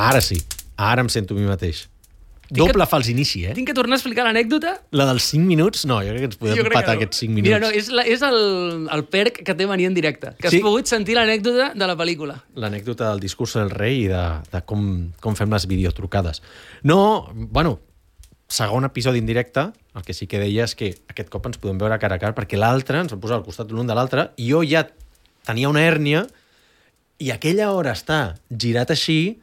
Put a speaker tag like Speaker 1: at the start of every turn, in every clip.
Speaker 1: Ara sí, ara em sento a mi mateix. Doble fals inici,
Speaker 2: Tinc que tornar a explicar l'anècdota?
Speaker 1: La dels 5 minuts? No, jo crec que ens podem empatar aquests 5 minuts.
Speaker 2: Mira, no, és el perc que té venir en directe, que has pogut sentir l'anècdota de la pel·lícula.
Speaker 1: L'anècdota del discurs del rei i de com fem les videotrucades. No, bueno, segon episodi en directe, el que sí que deia és que aquest cop ens podem veure cara a cara, perquè l'altre ens va posar al costat l'un de l'altre, i jo ja tenia una hèrnia, i aquella hora estar girat així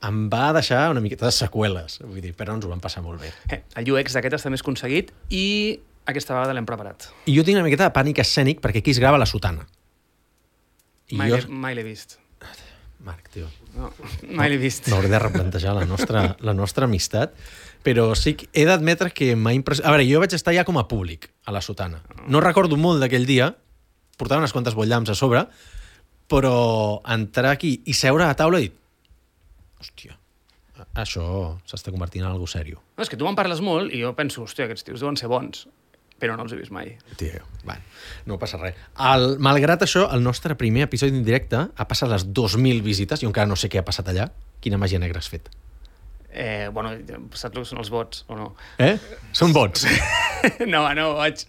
Speaker 1: em va deixar una miqueta de seqüeles, vull dir, però ens ho vam passar molt bé.
Speaker 2: El UX d'aquest està més aconseguit i aquesta vegada l'hem preparat.
Speaker 1: I jo tinc una miqueta de pànic escènic perquè aquí es grava la sotana.
Speaker 2: Mai l'he vist.
Speaker 1: Marc, tio.
Speaker 2: No, mai l'he vist.
Speaker 1: M'hauré de replantejar la nostra amistat, però sí que he d'admetre que m'ha impressionat. A veure, jo vaig estar ja com a públic a la sotana. No recordo molt d'aquell dia, portava unes quantes botllams a sobre, però entrar aquí i seure a taula i dir, hòstia, això s'està convertint en algo sèrio.
Speaker 2: No, és que tu me'n parles molt i jo penso, hòstia, aquests tios deuen ser bons, però no els he vist mai.
Speaker 1: Tio, bueno, no passa res. Malgrat això, el nostre primer episodi en directe ha passat les 2.000 visites, jo encara no sé què ha passat allà. Quina màgia negra has fet?
Speaker 2: Bueno, saps el que són els bots, o no?
Speaker 1: Són bots.
Speaker 2: No, vaig...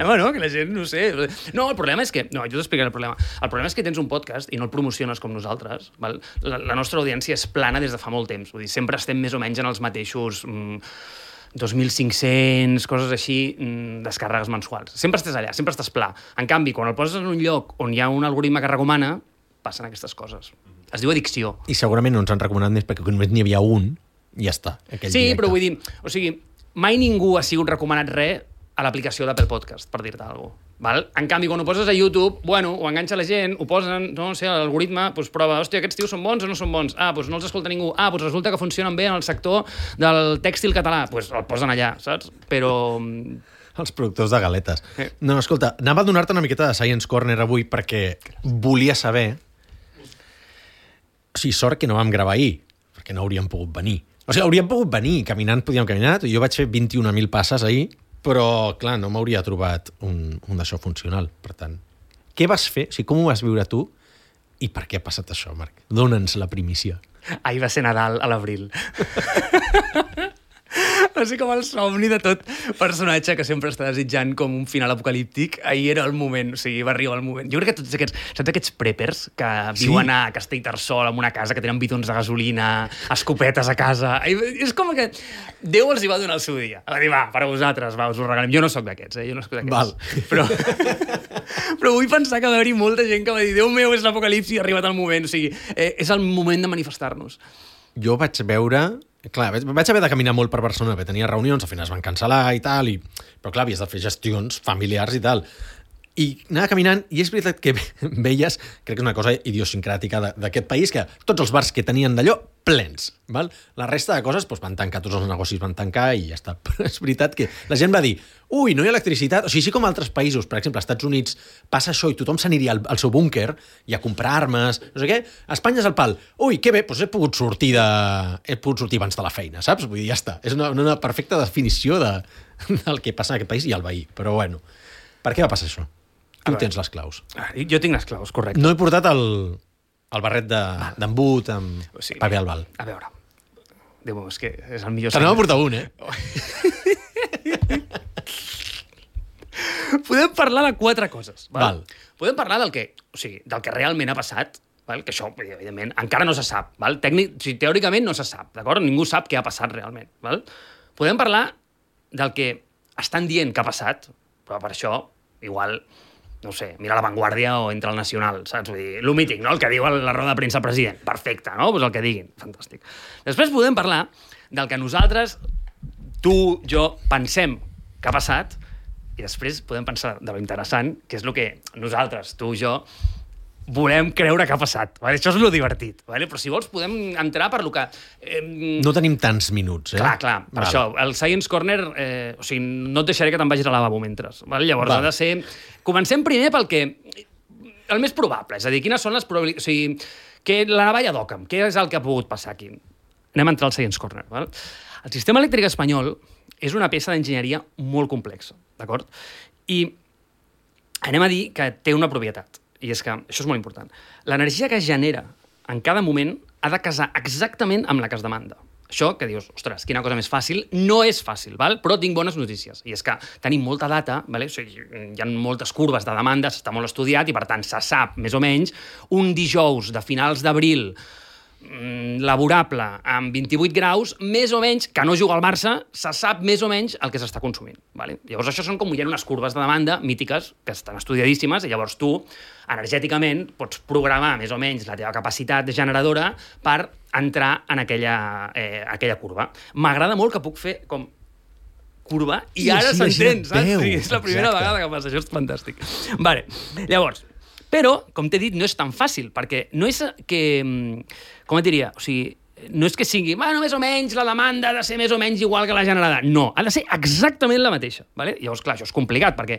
Speaker 2: Bueno, que la gent, no sé... No, el problema és que... No, jo t'explicaré el problema. El problema és que tens un podcast i no el promociones com nosaltres. Val? La nostra audiència és plana des de fa molt temps. Vull dir, sempre estem més o menys en els mateixos 2.500, coses així, descàrregues mensuals. Sempre estàs allà, sempre estàs pla. En canvi, quan el poses en un lloc on hi ha un algoritme que recomana, passen aquestes coses. Es diu addicció.
Speaker 1: I segurament no ens han recomanat més perquè només n'hi havia un i ja està.
Speaker 2: Sí, directe. Però vull dir... O sigui, mai ningú ha sigut recomanat res a l'aplicació d'Apple Podcast, per dir-te alguna cosa. En canvi, quan ho poses a YouTube, bueno, ho enganxa la gent, ho posen, no sé, l'algoritme, doncs prova, hòstia, aquests tios són bons o no són bons? Doncs no els escolta ningú. Doncs resulta que funcionen bé en el sector del tèxtil català. Doncs el posen allà, saps? Però...
Speaker 1: Els productors de galetes. No, escolta, anava a donar-te una miqueta de Science Corner avui perquè volia saber... O sigui, sort que no vam gravar ahir, perquè no hauríem pogut venir. O sigui, hauríem pogut venir, caminant podíem caminar, jo vaig fer 21.000 passes ahir, però, clar, no m'hauria trobat un d'això funcional. Per tant, què vas fer? O sigui, com ho vas viure tu i per què ha passat això, Marc? Dóna'ns la primícia.
Speaker 2: Ahir va ser Nadal a l'abril. Va ser com el somni de tot personatge que sempre està desitjant com un final apocalíptic. Ahir era el moment, o sigui, va arribar el moment. Jo crec que tots aquests, saps aquests preppers que viuen a Castellterçol, en una casa, que tenen bidons de gasolina, escopetes a casa... És com que Déu els hi va donar el seu dia. Va dir, va, per a vosaltres, va, us ho regalem. Jo no sóc d'aquests, jo no sóc d'aquests.
Speaker 1: Val.
Speaker 2: Però vull pensar que va haver-hi molta gent que va dir, Déu meu, és l'apocalipsi, ha arribat el moment. O sigui, és el moment de manifestar-nos.
Speaker 1: Jo vaig veure... Clar, vaig haver de caminar molt per Barcelona, perquè tenia reunions, al final es van cancel·lar i tal, però clar, havies de fer gestions familiars i tal. I anava caminant, i és veritat que veies, crec que és una cosa idiosincràtica d'aquest país, que tots els bars que tenien d'allò, plens. Val? La resta de coses van tancar, tots els negocis van tancar i ja està. Però és veritat que la gent va dir, ui, no hi ha electricitat. O sigui, així com altres països, per exemple, als Estats Units, passa això i tothom s'aniria al seu búnquer i a comprar armes, no sé què. A Espanya és el pal. Ui, que bé, doncs he pogut sortir abans de la feina, saps? Vull dir, ja està. És una perfecta definició del que passa en aquest país i al veí. Però bueno, per què va passar això? Tu tens les claus.
Speaker 2: Jo tinc les claus, correcte.
Speaker 1: No he portat el barret d'embut amb paper albal.
Speaker 2: A veure, Déu, és que és el millor...
Speaker 1: Te n'anava a portar un,
Speaker 2: Podem parlar de 4 coses.
Speaker 1: Val.
Speaker 2: Podem parlar del que realment ha passat, val? Que això, evidentment, encara no se sap. Val? Teòricament no se sap, d'acord? Ningú sap què ha passat realment. Val? Podem parlar del que estan dient que ha passat, però per això, igual... no sé, mira La Vanguardia o Entra al Nacional, saps? Vull dir, lo mític, no? El que diu la roda de premsa al president. Perfecte, no? Pues el que diguin. Fantàstic. Després podem parlar del que nosaltres, tu, jo, pensem que ha passat, i després podem pensar de lo interessant, que és el que nosaltres, tu, jo, volem creure que ha passat. Vale? Això és lo divertit. Vale? Però si vols podem entrar per lo que...
Speaker 1: No tenim tants minuts,
Speaker 2: Clar, per això. El Science Corner, o sigui, no et deixaré que te'n vagis al lavabo mentre. Vale? Llavors ha de ser... Comencem primer pel que... El més probable, és a dir, quines són les probabilitats... O sigui, que la navalla d'Occam, què és el que ha pogut passar aquí? Anem a entrar al Science Corner. Val? El sistema elèctric espanyol és una peça d'enginyeria molt complexa, d'acord? I anem a dir que té una propietat. I és que, això és molt important, l'energia que es genera en cada moment ha de casar exactament amb la que es demanda. Això que dius, ostres, quina cosa més fàcil, no és fàcil, val? Però tinc bones notícies. I és que tenim molta data, vale? O sigui, hi ha moltes curves de demanda, està molt estudiat i, per tant, se sap, més o menys, un dijous de finals d'abril laborable amb 28 graus, més o menys, que no juga al Barça, se sap més o menys el que s'està consumint. Vale? Llavors, això són com hi ha unes curves de demanda mítiques que estan estudiadíssimes i llavors tu, energèticament, pots programar més o menys la teva capacitat generadora per entrar en aquella curva. M'agrada molt que puc fer com curva i ara s'entén, saps? Sí, és la primera vegada que passa, això és fantàstic. Vale. Llavors, però, com t'he dit, no és tan fàcil, perquè no és que... Com et diria? O sigui, no és que sigui, bueno, més o menys, la demanda ha de ser més o menys igual que la generada. No, ha de ser exactament la mateixa. Vale? Llavors, clar, això és complicat, perquè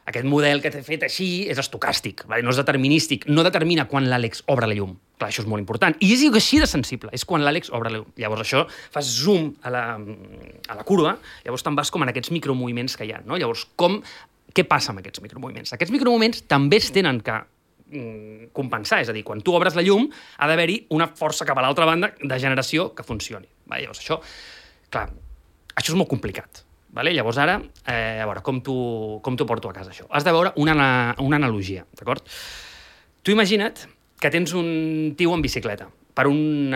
Speaker 2: aquest model que t'he fet així és estocàstic, vale? No és determinístic, no determina quan l'Àlex obre la llum. Clar, això és molt important. I és així de sensible, és quan l'Àlex obre la llum. Llavors això, fas zoom a la curva, llavors te'n vas com en aquests micromoviments que hi ha. No? Llavors, què passa amb aquests micromoviments? Aquests micromoviments també es tenen que compensar, és a dir, quan tu obres la llum ha d'haver-hi una força cap a l'altra banda de generació que funcioni. Vale? Llavors això, clar, això és molt complicat. Vale? Llavors ara, a veure, com t'ho porto a casa això? Has de veure una analogia, d'acord? Tu imagina't que tens un tio en bicicleta per un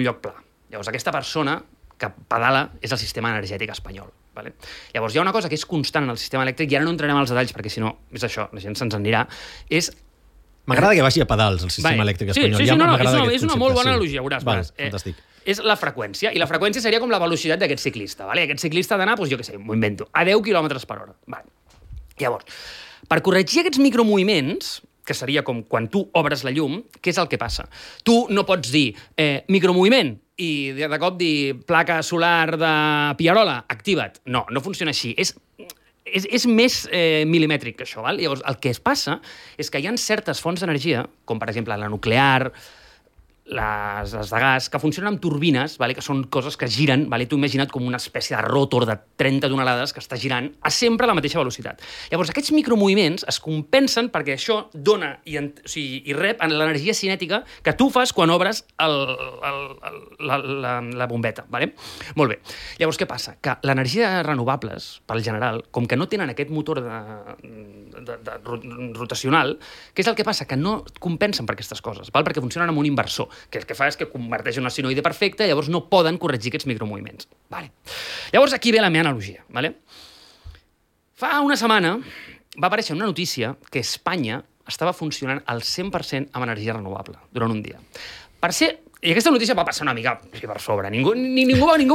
Speaker 2: lloc pla. Llavors aquesta persona que pedala és el sistema energètic espanyol. Vale? Llavors hi ha una cosa que és constant en el sistema elèctric, i ara no entrarem als detalls perquè si no, és això, la gent se'ns en anirà, és...
Speaker 1: M'agrada que vagi a pedals el sistema elèctric espanyol.
Speaker 2: Sí, és una molt bona analogia, veuràs.
Speaker 1: Fantàstic.
Speaker 2: És la freqüència, i la freqüència seria com la velocitat d'aquest ciclista. Vale? Aquest ciclista ha d'anar, doncs, jo què sé, m'ho invento, a 10 km per hora. Vale. Llavors, per corregir aquests micromoviments, que seria com quan tu obres la llum, què és el que passa? Tu no pots dir micromoviment i de cop dir placa solar de Pierola, activa't. No, no funciona així. És més milimètric que això. Val? Llavors, el que es passa és que hi ha certes fonts d'energia, com per exemple la nuclear, les de gas, que funcionen amb turbines, vale? Que són coses que giren, vale? Tu imagina't com una espècie de rotor de 30 tonelades que està girant a sempre a la mateixa velocitat. Llavors, aquests micromoviments es compensen perquè això dona i rep l'energia cinètica que tu fas quan obres la bombeta. Vale? Molt bé. Llavors, què passa? Que l'energia de renovables, pel general, com que no tenen aquest motor rotacional, què és el que passa? Que no compensen per aquestes coses, val? Perquè funcionen amb un inversor, que el que fa és que converteix una sinoide perfecta, llavors no poden corregir aquests micromoviments. Vale. Llavors aquí ve la meva analogia. Vale? Fa una setmana va aparèixer una notícia que Espanya estava funcionant al 100% amb energia renovable durant un dia. I aquesta notícia va passar una mica per sobre. Ningú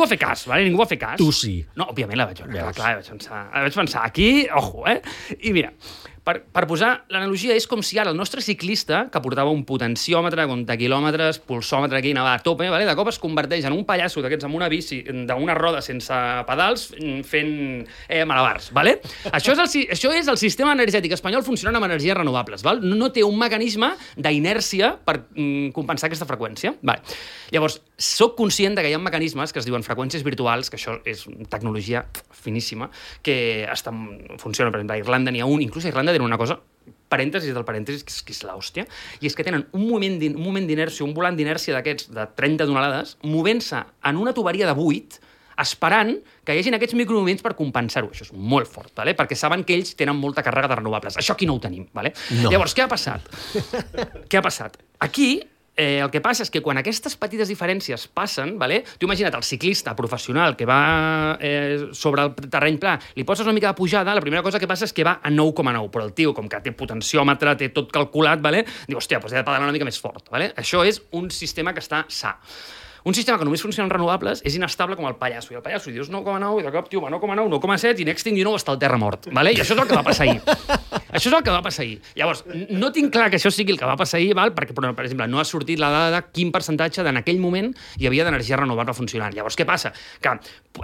Speaker 2: va fer cas, vale? Ningú va fer cas.
Speaker 1: Tu sí.
Speaker 2: No, òbviament la vaig veure. Clar, vaig pensar, aquí, ojo, I mira, per posar l'analogia, és com si ara el nostre ciclista, que portava un potenciòmetre, comptaquilòmetres, pulsòmetre aquí, anava a tope, vale? De cop es converteix en un pallasso d'aquests amb una bici, d'una roda sense pedals, fent malabars. Vale? Això és el sistema energètic espanyol funcionant amb energies renovables. Val? No té un mecanisme d'inèrcia per compensar aquesta freqüència. Vale. Llavors, soc conscient que hi ha mecanismes que es diuen freqüències virtuals, que això és tecnologia finíssima, que funciona, per exemple, a Irlanda n'hi ha un, inclús a Irlanda tenen una cosa, parèntesis del parèntesis, que és l'hòstia, i és que tenen un moment d'inèrcia, un volant d'inèrcia d'aquests de 30 tonelades, movent-se en una tuberia de 8, esperant que hi hagin aquests micromoviments per compensar-ho. Això és molt fort, vale? Perquè saben que ells tenen molta càrrega de renovables. Això aquí no ho tenim. Vale? No. Llavors, què ha passat? Què ha passat? Aquí, el que passa és que quan aquestes petites diferències passen, vale? Tu imagina't el ciclista professional que va sobre el terreny pla, li poses una mica de pujada, la primera cosa que passa és que va a 9,9, però el tio, com que té potenciòmetre, té tot calculat, vale? Diu, hòstia, doncs he de pedalar una mica més fort. Vale? Això és un sistema que està sa. Un sistema que només funciona en renovables és inestable com el pallasso. I el pallasso dius 9,9 i de cop, tio, va 9,9, 9,7 i next thing you know està al terra mort. Vale? I això és el que va passar ahir. Això és el que va passar ahir. Llavors, no tinc clar que això sigui el que va passar ahir, val? Perquè, per exemple, no ha sortit la dada de quin percentatge en aquell moment hi havia d'energia renovable funcionant. Llavors, què passa? Que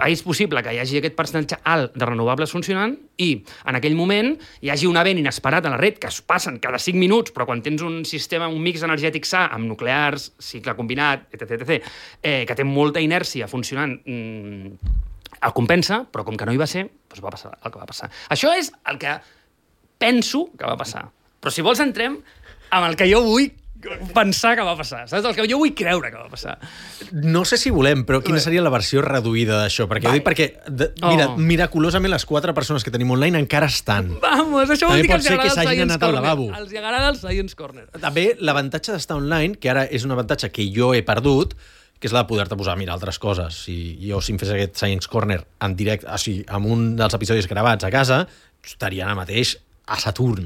Speaker 2: és possible que hi hagi aquest percentatge alt de renovables funcionant i en aquell moment hi hagi un event inesperat a la red que es passen cada 5 minuts, però quan tens un sistema, un mix energètic sa amb nuclears, cicle combinat, etc., que té molta inèrcia funcionant, el compensa, però com que no hi va ser, doncs va passar el que va passar. Això és el que penso que va passar. Però si vols entrem amb el que jo vull pensar que va passar. Saps? El que jo vull creure que va passar.
Speaker 1: No sé si volem, però quina seria la versió reduïda d'això? Perquè ho dic perquè, mira, miraculosament les 4 persones que tenim online encara estan.
Speaker 2: Vamos, això vol
Speaker 1: També
Speaker 2: dir que
Speaker 1: pot
Speaker 2: els
Speaker 1: ser que
Speaker 2: agrada el
Speaker 1: s'hagin
Speaker 2: Science
Speaker 1: anat al
Speaker 2: Corner.
Speaker 1: lavabo.
Speaker 2: Els agrada el Science Corner.
Speaker 1: També l'avantatge d'estar online, que ara és un avantatge que jo he perdut, que és la de poder-te posar a mirar altres coses. Si em fes aquest Science Corner en directe, o sigui, amb un dels episodis gravats a casa, estaria ara mateix a Saturn,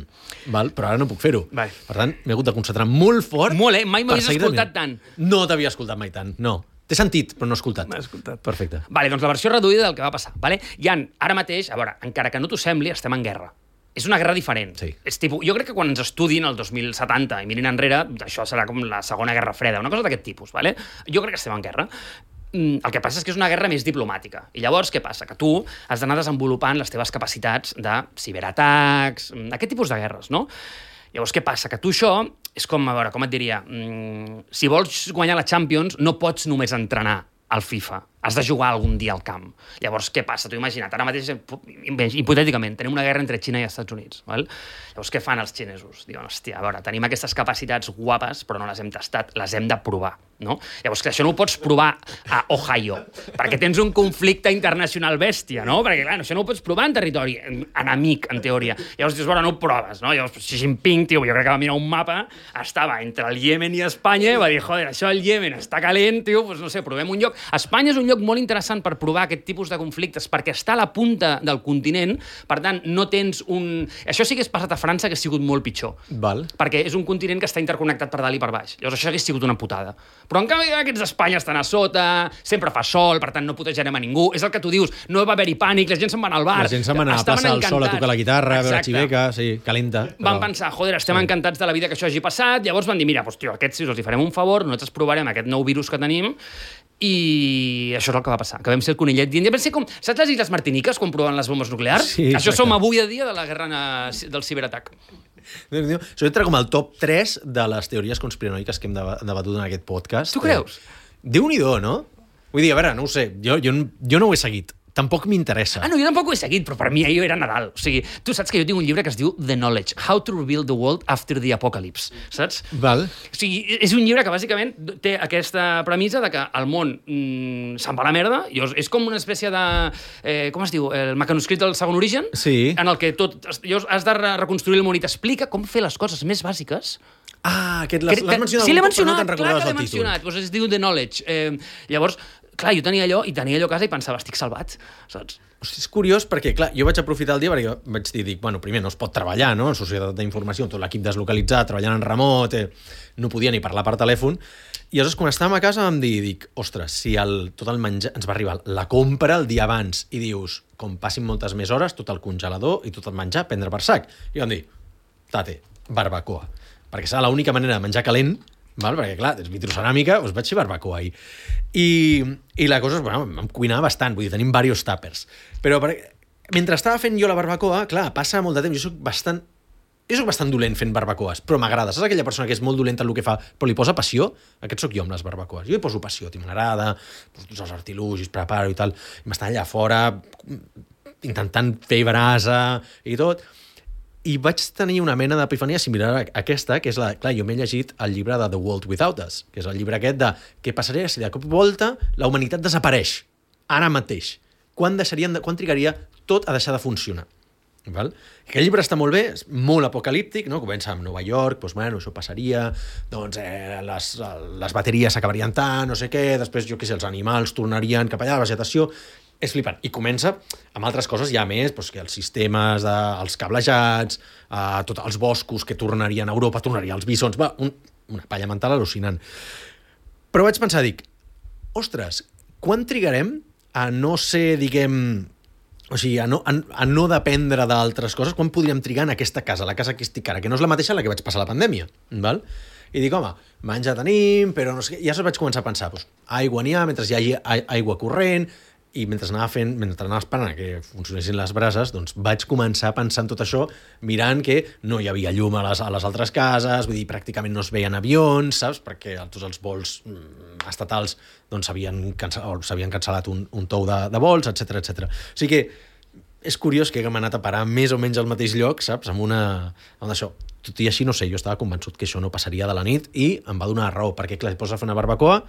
Speaker 1: val? Però ara no puc fer-ho.
Speaker 2: Vale.
Speaker 1: Per tant, m'he hagut de concentrar molt fort.
Speaker 2: Molt, mai
Speaker 1: per
Speaker 2: m'havies
Speaker 1: seguir
Speaker 2: escoltat
Speaker 1: tenint.
Speaker 2: tant.
Speaker 1: No t'havia escoltat mai tant, no. T'he sentit, però no he escoltat.
Speaker 2: M'he escoltat.
Speaker 1: Perfecte.
Speaker 2: Vale, doncs la versió reduïda del que va passar. Vale? Ara mateix, a veure, encara que no t'ho sembli, estem en guerra. És una guerra diferent.
Speaker 1: Sí.
Speaker 2: És tipus, jo crec que quan ens estudin el 2070 i mirin enrere, això serà com la Segona Guerra Freda, una cosa d'aquest tipus. Vale? Jo crec que estem en guerra. El que passa és que és una guerra més diplomàtica. I llavors, què passa? Que tu has d'anar desenvolupant les teves capacitats de ciberatacs, aquest tipus de guerres, no? Llavors, què passa? Que tu això és com, a veure, com et diria, si vols guanyar la Champions, no pots només entrenar al FIFA. Has de jugar algun dia al camp. Llavors, què passa? Tu imagina't, ara mateix, hipotèticament, tenim una guerra entre Xina i Estats Units. Val? Llavors, què fan els xinesos? Diuen, hòstia, a veure, tenim aquestes capacitats guapes, però no les hem tastat, les hem de provar. No? Llavors, que això no ho pots provar a Ohio, perquè tens un conflicte internacional bèstia, no? Perquè, clar, això no ho pots provar en territori enemic, en teoria. Llavors dius, bueno, no ho proves, no? Llavors, Xi Jinping, tio, jo crec que va mirar un mapa, estava entre el Iemen i Espanya, i va dir, joder, això el Iemen està calent, tio, doncs no sé, provem un lloc. Espanya és un lloc molt interessant per provar aquest tipus de conflictes, perquè està a la punta del continent, per tant, no tens un... Això sí que és passat a França, que ha sigut molt pitjor.
Speaker 1: Val.
Speaker 2: Perquè és un continent que està interconnectat per dalt i per baix. Llavors això hagués sigut una putada. Però en canvi aquests d'Espanya estan a sota, sempre fa sol, per tant no putejarem a ningú. És el que tu dius, no va haver-hi pànic, la gent se'n va anar al bar.
Speaker 1: La gent se'n va anar a passar el sol a tocar la guitarra, a veure xiveca, sí, calenta.
Speaker 2: Van pensar, joder, estem encantats de la vida que això hagi passat, llavors van dir, mira, doncs, tio, aquests si els hi farem un favor, nosaltres provarem aquest nou virus que tenim, i això és el que va passar, que vam ser el conillet dient, vam ser com, saps les Illes Martiniques quan proven les bombes nuclears?
Speaker 1: Sí,
Speaker 2: això
Speaker 1: exacte.
Speaker 2: som avui a dia de la guerra del ciberatac.
Speaker 1: Això entra com el top 3 de les teories conspiranoiques que hem debatut en aquest podcast.
Speaker 2: Tu creus?
Speaker 1: Déu-n'hi-do, no? Vull dir, a veure, no ho sé, jo no ho he seguit. Tampoc m'interessa.
Speaker 2: No, jo tampoc ho he seguit, però per mi ahir era Nadal. O sigui, tu saps que jo tinc un llibre que es diu The Knowledge, How to Rebuild the World After the Apocalypse, saps?
Speaker 1: Val.
Speaker 2: O sigui, és un llibre que bàsicament té aquesta premissa de que el món se'n va a la merda, i és com una espècie de... com es diu? El mecanoscrit del segon origen?
Speaker 1: Sí.
Speaker 2: En el que has de reconstruir el món i t'explica com fer les coses més bàsiques.
Speaker 1: Aquest l'has mencionat
Speaker 2: sí, l'he
Speaker 1: un cop, però
Speaker 2: mencionat,
Speaker 1: no te'n
Speaker 2: clar
Speaker 1: recordaves
Speaker 2: que l'he
Speaker 1: el títol.
Speaker 2: mencionat. Doncs es diu The Knowledge. Llavors, clar, jo tenia allò a casa i pensava, estic salvat, saps?
Speaker 1: Hosti, és curiós perquè, clar, jo vaig aprofitar el dia perquè vaig dir, bueno, primer no es pot treballar, no?, en societat d'informació, tot l'equip deslocalitzat, treballant en remot, no podia ni parlar per telèfon, i llavors quan estàvem a casa vam dir, ostres, si tot el menjar ens va arribar la compra el dia abans i dius, com passin moltes més hores, tot el congelador i tot el menjar prendre per sac. I vam dir, tate, barbacoa. Perquè serà l'única manera de menjar calent, val? Perquè, clar, és vitroceràmica, doncs vaig fer barbacoa ahir. I la cosa és, bueno, em cuinava bastant, vull dir, tenim diversos tàpers. Però mentre estava fent jo la barbacoa, clar, passa molt de temps, jo soc bastant dolent fent barbacoes, però m'agrada. Saps aquella persona que és molt dolenta en el que fa, però li posa passió? Aquest sóc jo amb les barbacoes. Jo hi poso passió, m'agrada, poso tots els artilugis, preparo i tal, i m'estan allà fora intentant fer brasa i tot. I vaig tenir una mena d'epifania similar a aquesta, que és clar, jo m'he llegit el llibre de The World Without Us, que és el llibre aquest de què passaria si de cop volta la humanitat desapareix, ara mateix. Quan trigaria tot a deixar de funcionar? Val? Aquest llibre està molt bé, és molt apocalíptic, no? Comença amb Nova York, doncs, bueno, això passaria, doncs les bateries s'acabarien tant, no sé què, després, jo què sé, els animals tornarien cap allà, la vegetació. És flipant. I comença amb altres coses ja més, doncs, que els sistemes, els cablejats, tots els boscos que tornarien a Europa, tornarien als bisons, una palla mental al·lucinant. Però vaig pensar, ostres, quan trigarem a no ser, diguem, o sigui, a no dependre d'altres coses, quan podríem trigar en aquesta casa, la casa que estic ara, que no és la mateixa en la que vaig passar la pandèmia, val? I dic, home, menjar tenim, però no sé què. I llavors vaig començar a pensar, doncs, aigua n'hi ha, mentre hi hagi aigua corrent, i mentre anava esperant que funcionessin les brases, doncs vaig començar a pensar en tot això, mirant que no hi havia llum a les altres cases, vull dir, pràcticament no es veien avions, saps? Perquè tots els vols estatals doncs s'havien cancel·lat un tou de vols, etc etc. O sigui que és curiós que haguem anat a parar més o menys al mateix lloc, saps? Amb això. Tot i així, no sé, jo estava convençut que això no passaria de la nit i em va donar raó, perquè clar, et poses a fer una barbacoa,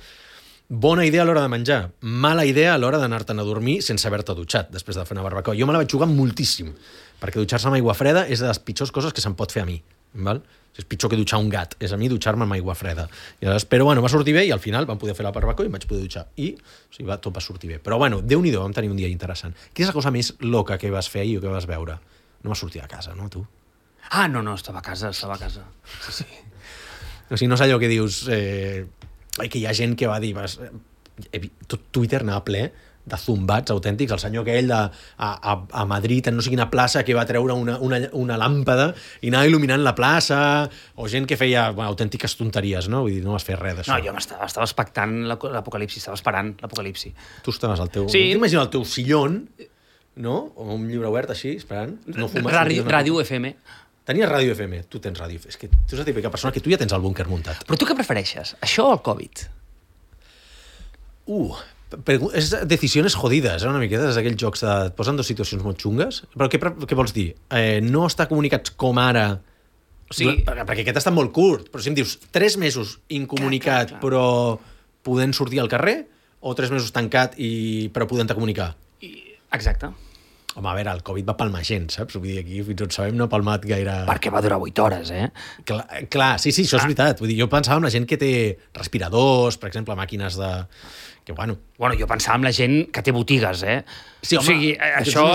Speaker 1: bona idea a l'hora de menjar, mala idea a l'hora d'anar-te'n a dormir sense haver-te dutxat després de fer una barbacoa. Jo me la vaig jugar moltíssim, perquè dutxar-se amb aigua freda és de les pitjors coses que se'm pot fer a mi, val? És pitjor que dutxar un gat, és a mi dutxar-me amb aigua freda. Però bueno, va sortir bé i al final vam poder fer la barbacoa i em vaig poder dutxar. I tot va sortir bé. Però bueno, Déu-n'hi-do, vam tenir un dia interessant. Quina és la cosa més loca que vas fer ahir o que vas veure? No vas sortir a casa, no, tu?
Speaker 2: Ah, no, estava a casa. Sí.
Speaker 1: O sigui, no és allò que dius... que hi ha gent que va dir... Tot Twitter anava ple de zumbats autèntics, el senyor aquell a Madrid, en no sé quina plaça, que va treure una làmpada i anava il·luminant la plaça, o gent que feia autèntiques tonteries, no? Vull dir, no vas fer res d'això.
Speaker 2: No, jo estava expectant l'apocalipsi, estava esperant l'apocalipsi.
Speaker 1: Tu estaves al teu...
Speaker 2: Sí.
Speaker 1: T'imagino el teu sillón, no? O un llibre obert així, esperant. No fumes,
Speaker 2: Ràdio FM.
Speaker 1: Tenies Ràdio FM, tu tens Ràdio FM. És que tu és la típica persona que tu ja tens el búnquer muntat.
Speaker 2: Però tu què prefereixes, això o el Covid?
Speaker 1: És decisions jodides, una miqueta, és aquells jocs de... Et posen dues situacions molt xungues. Però què vols dir? No estar comunicats com ara... O sigui, perquè aquest està molt curt, però si em dius 3 mesos incomunicat clar. Però podent sortir al carrer, o 3 mesos tancat però podent-te comunicar?
Speaker 2: Exacte.
Speaker 1: Home, a veure, el Covid va palmar gent, saps? Vull dir, aquí fins on sabem no ha palmat gaire...
Speaker 2: Perquè va durar 8 hores,
Speaker 1: Clar, sí, això és veritat. Vull dir, jo pensava en la gent que té respiradors, per exemple, màquines de... Que, bueno,
Speaker 2: jo pensava en la gent que té botigues,
Speaker 1: Sí, home,
Speaker 2: o sigui, això,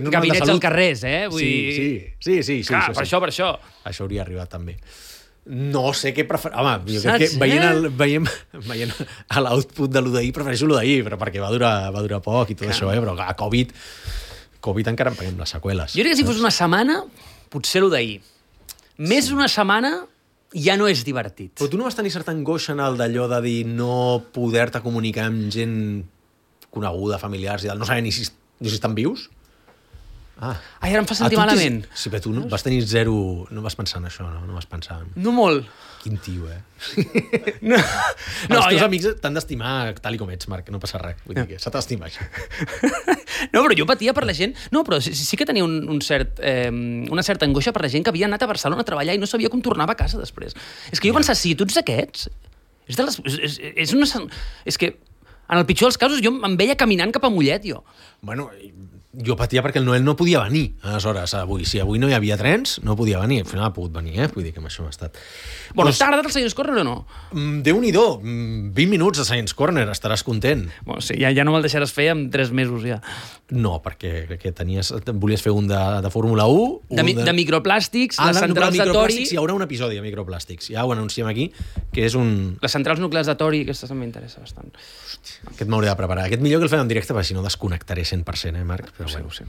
Speaker 2: gabinets als carrers, Vull dir...
Speaker 1: Sí.
Speaker 2: Clar, per això.
Speaker 1: Això hauria arribat també. No sé què prefereixo... Home, jo crec que veient a l'output de l'UDI prefereixo l'UDI, però perquè va durar poc i tot això, però a Covid encara en paguem les seqüeles.
Speaker 2: Jo crec que si fos una setmana, potser l'UDI. Més d'una setmana ja no és divertit.
Speaker 1: Però tu no vas tenir certa angoixa en el d'allò de dir no poder-te comunicar amb gent coneguda, familiars i tal, no saber ni si estan vius?
Speaker 2: Ai, ara em fa sentir malament.
Speaker 1: Sí, però tu no vas tenir zero... No vas pensar en això, no? No vas pensar en...
Speaker 2: No molt.
Speaker 1: Quin tio,
Speaker 2: No,
Speaker 1: els teus amics t'han d'estimar tal i com ets, Marc, no passa res. Vull dir que s'ha d'estimar, això.
Speaker 2: No, però jo patia per la gent... No, però sí que tenia una certa angoixa per la gent que havia anat a Barcelona a treballar i no sabia com tornava a casa després. És que jo pensava, si tu ets aquests... És que en el pitjor dels casos jo em veia caminant cap a Mollet, jo.
Speaker 1: Bueno, jo patia perquè el Noel no podia venir, aleshores, avui. Si avui no hi havia trens, no podia venir. Al final ha pogut venir, Vull dir que amb això ha estat...
Speaker 2: Bueno, t'ha agradat el Science Corner o no?
Speaker 1: Déu-n'hi-do, 20 minuts de Science Corner, estaràs content.
Speaker 2: Bueno, sí, ja no me'l deixaràs fer en 3 mesos, ja.
Speaker 1: No, perquè volies fer un de Fórmula 1...
Speaker 2: De microplàstics, les centrals de tori...
Speaker 1: Hi haurà un episodi de microplàstics, ja ho anunciem aquí, que és un...
Speaker 2: Les centrals nuclears de tori, aquestes també m'interessa bastant.
Speaker 1: Hòstia, aquest m'hauré de preparar. Aquest millor que el fem en directe, perquè si no desconnectaré 100%, Marc? Però
Speaker 2: ho sé.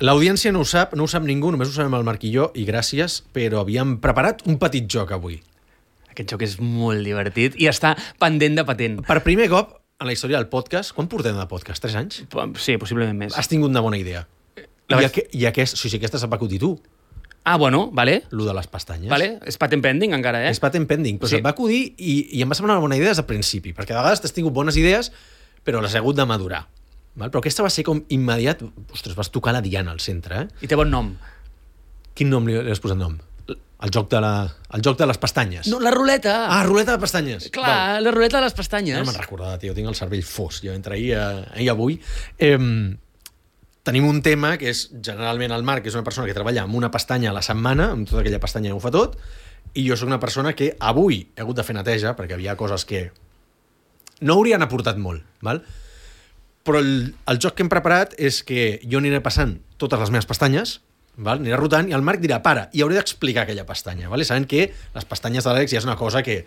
Speaker 1: L'audiència no ho sap ningú, només ho sabem el Marc i jo, i gràcies, però havíem preparat un petit joc avui.
Speaker 2: Aquest joc és molt divertit i està pendent de patent.
Speaker 1: Per primer cop en la història del podcast, quan portem de podcast? 3 anys?
Speaker 2: Sí, possiblement més.
Speaker 1: Has tingut una bona idea. Aquesta se't va acudir tu.
Speaker 2: Ah, bueno, vale.
Speaker 1: Lo de les pestanyes.
Speaker 2: Vale, és patent pending encara,
Speaker 1: És patent pending, però se't va acudir i em va semblar una bona idea des del principi, perquè a vegades t'has tingut bones idees, però les has hagut de madurar. Val? Però aquesta va ser com immediat... Ostres, vas tocar la diana al centre,
Speaker 2: I té bon nom.
Speaker 1: Quin nom li has posat nom? El joc de les pestanyes.
Speaker 2: No, la ruleta.
Speaker 1: Ah, ruleta de pestanyes.
Speaker 2: Clar, la ruleta de les pestanyes.
Speaker 1: No me'n recordava, tio, tinc el cervell fos. Jo entre ahir i avui... Tenim un tema que és, generalment, el Marc, que és una persona que treballa amb una pestanya a la setmana, amb tota aquella pestanya ho fa tot, i jo sóc una persona que avui he hagut de fer neteja, perquè havia coses que no haurien aportat molt, val? Però el joc que hem preparat és que jo aniré passant totes les meves pestanyes, val? Aniré rotant, i el Marc dirà, para, i hauré d'explicar aquella pestanya, val? Sabent que les pestanyes de l'Àlex ja és una cosa que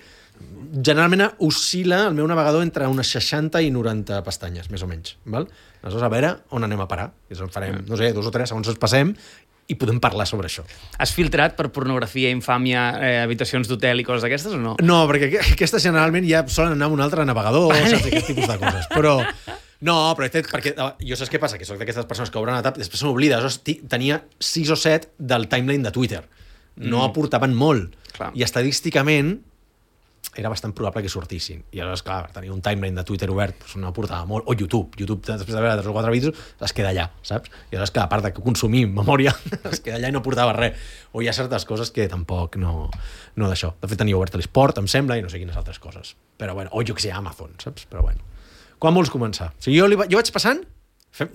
Speaker 1: generalment oscil·la el meu navegador entre unes 60 i 90 pestanyes, més o menys, val? Aleshores, a veure on anem a parar. Farem, no sé, 2 o 3 segons ens passem i podem parlar sobre això.
Speaker 2: Has filtrat per pornografia, infàmia, habitacions d'hotel i coses d'aquestes o no?
Speaker 1: No, perquè aquestes generalment ja solen anar amb un altre navegador, saps, aquest tipus de coses. Però... No, però perquè jo saps què passa? Que soc d'aquestes persones que obren la tab i després se m'oblida. Tenia 6 o 7 del timeline de Twitter. No aportaven molt.
Speaker 2: Clar.
Speaker 1: I estadísticament era bastant probable que sortissin. I aleshores, clar, tenir un timeline de Twitter obert doncs no aportava molt. O YouTube, després de veure 3 o 4 vídeos, es queda allà, saps? I aleshores, clar, a part de consumir memòria, es queda allà i no aportava res. O hi ha certes coses que tampoc no d'això. De fet, tenia obert l'esport, em sembla, i no sé quines altres coses. Però bueno, o jo que sé, Amazon, saps? Però bueno. Quan vols començar? O sigui, jo vaig passant,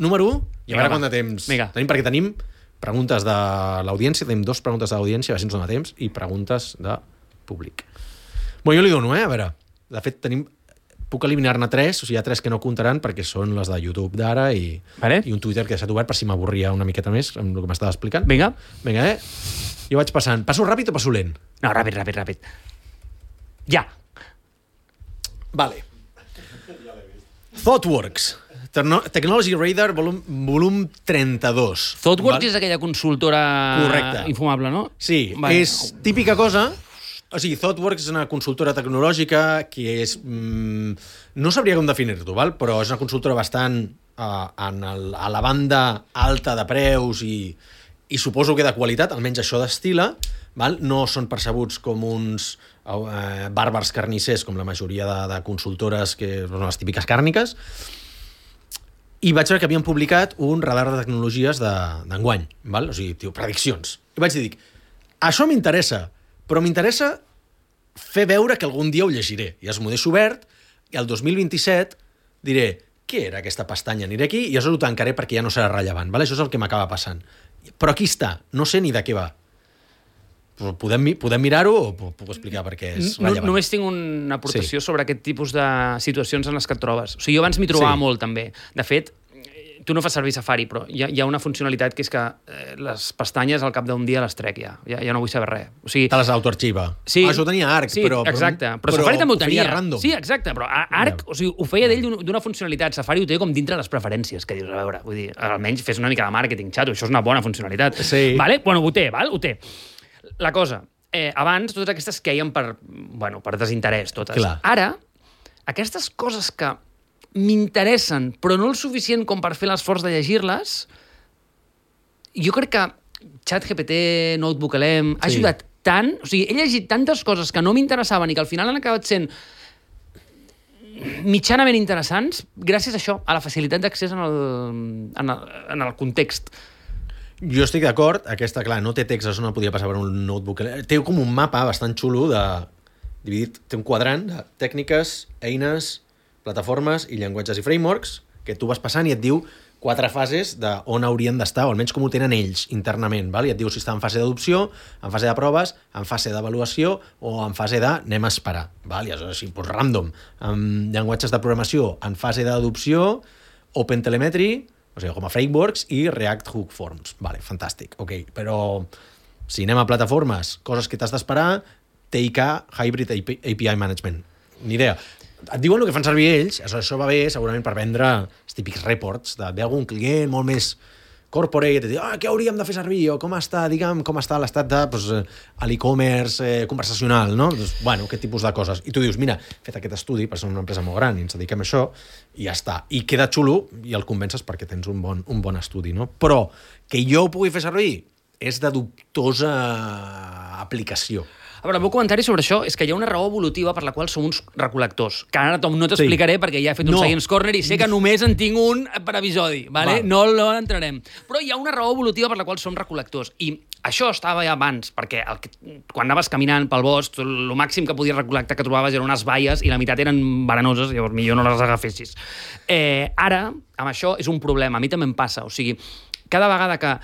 Speaker 1: número 1, i a veure quant de temps tenim, perquè tenim preguntes de l'audiència, tenim 2 preguntes de l'audiència, a veure si ens dona temps, i preguntes de públic. Bueno, jo li dono, a veure. De fet, puc eliminar-ne 3, o sigui, hi ha 3 que no comptaran perquè són les de YouTube d'ara i un Twitter que ha estat obert per si m'avorria una miqueta més amb el que m'estava explicant.
Speaker 2: Vinga,
Speaker 1: Jo vaig passant. Passo ràpid o passo lent?
Speaker 2: No, ràpid. Ja.
Speaker 1: Vale. ThoughtWorks. Technology Radar, volum 32.
Speaker 2: ThoughtWorks és aquella consultora infumable, no?
Speaker 1: Sí, és típica cosa. O sigui, ThoughtWorks és una consultora tecnològica que és... no sabria com definir-ho, però és una consultora bastant a la banda alta de preus i suposo que de qualitat, almenys això d'estila, no són percebuts com uns bàrbars carnissers, com la majoria de consultores que són les típiques càrniques. I vaig veure que havien publicat un radar de tecnologies d'enguany, o sigui, prediccions. I vaig dir, això m'interessa, però m'interessa fer veure que algun dia ho llegiré. I m'ho deixo obert, i el 2027 diré, què era aquesta pestanya? Aniré aquí i això ho tancaré perquè ja no serà rellevant. Això és el que m'acaba passant. Però aquí està, no sé ni de què va. Podem mirar-ho o puc explicar per què és rellevant?
Speaker 2: Només tinc una aportació sobre aquest tipus de situacions en les que et trobes. O sigui, jo abans m'hi trobava molt, també. De fet, tu no fas servir Safari, però hi ha una funcionalitat que és que les pestanyes al cap d'un dia les trec ja no vull saber res. O sigui,
Speaker 1: te les autoarxiva.
Speaker 2: Sí,
Speaker 1: això ho tenia Arc, però...
Speaker 2: Exacte, però Safari també ho tenia.
Speaker 1: Random.
Speaker 2: Sí, exacte, però Arc o sigui, ho feia d'ell d'una funcionalitat. Safari ho té com dintre les preferències, que dius, a veure, vull dir, almenys fes una mica de màrqueting, xato, això és una bona funcionalitat.
Speaker 1: Sí.
Speaker 2: Vale? Bueno, ho té. La cosa, abans totes aquestes queien per desinterès, totes.
Speaker 1: Clar.
Speaker 2: Ara, aquestes coses que m'interessen, però no el suficient com per fer l'esforç de llegir-les, jo crec que ChatGPT, NotebookLM, ha ajudat tant, o sigui, he llegit tantes coses que no m'interessaven i que al final han acabat sent mitjanament interessants gràcies a això, a la facilitat d'accés en el context.
Speaker 1: Jo estic d'acord, aquesta, clar, no té text, això no podia passar per un notebook. Té com un mapa bastant xulo dividit, té un quadrant de tècniques, eines, plataformes i llenguatges i frameworks, que tu vas passant i et diu 4 fases d'on haurien d'estar, o almenys com ho tenen ells internament, i et diu si està en fase d'adopció, en fase de proves, en fase d'avaluació o en fase de anem a esperar. I aleshores, així, random. Amb llenguatges de programació en fase d'adopció, OpenTelemetry, o sigui, com a frameworks, i React Hook Forms. Fantàstic, ok. Però si anem a plataformes, coses que t'has d'esperar, TIK, Hybrid API Management. Ni idea. Et diuen el que fan servir ells, això va bé segurament per vendre els típics reports de ve algun client molt més corporate i et diu, què hauríem de fer servir? O com està l'estat de l'e-commerce conversacional, no? Aquest tipus de coses. I tu dius, mira, he fet aquest estudi per ser una empresa molt gran i ens dediquem a això i ja està. I queda xulo i el convences perquè tens un bon estudi, no? Però que jo ho pugui fer servir és de dubtosa aplicació.
Speaker 2: A veure, el meu comentari sobre això és que hi ha una raó evolutiva per la qual som uns recol·lectors, que ara no t'explicaré perquè ja he fet un Science Corner i sé que només en tinc un per episodi, ¿vale? No entrarem. Però hi ha una raó evolutiva per la qual som recol·lectors. I això estava ja abans, perquè quan anaves caminant pel bosc, el màxim que podies recol·lectar que trobaves eren unes baies i la meitat eren verenoses, llavors millor no les agafessis. Ara, amb això, és un problema. A mi també em passa. O sigui, cada vegada que...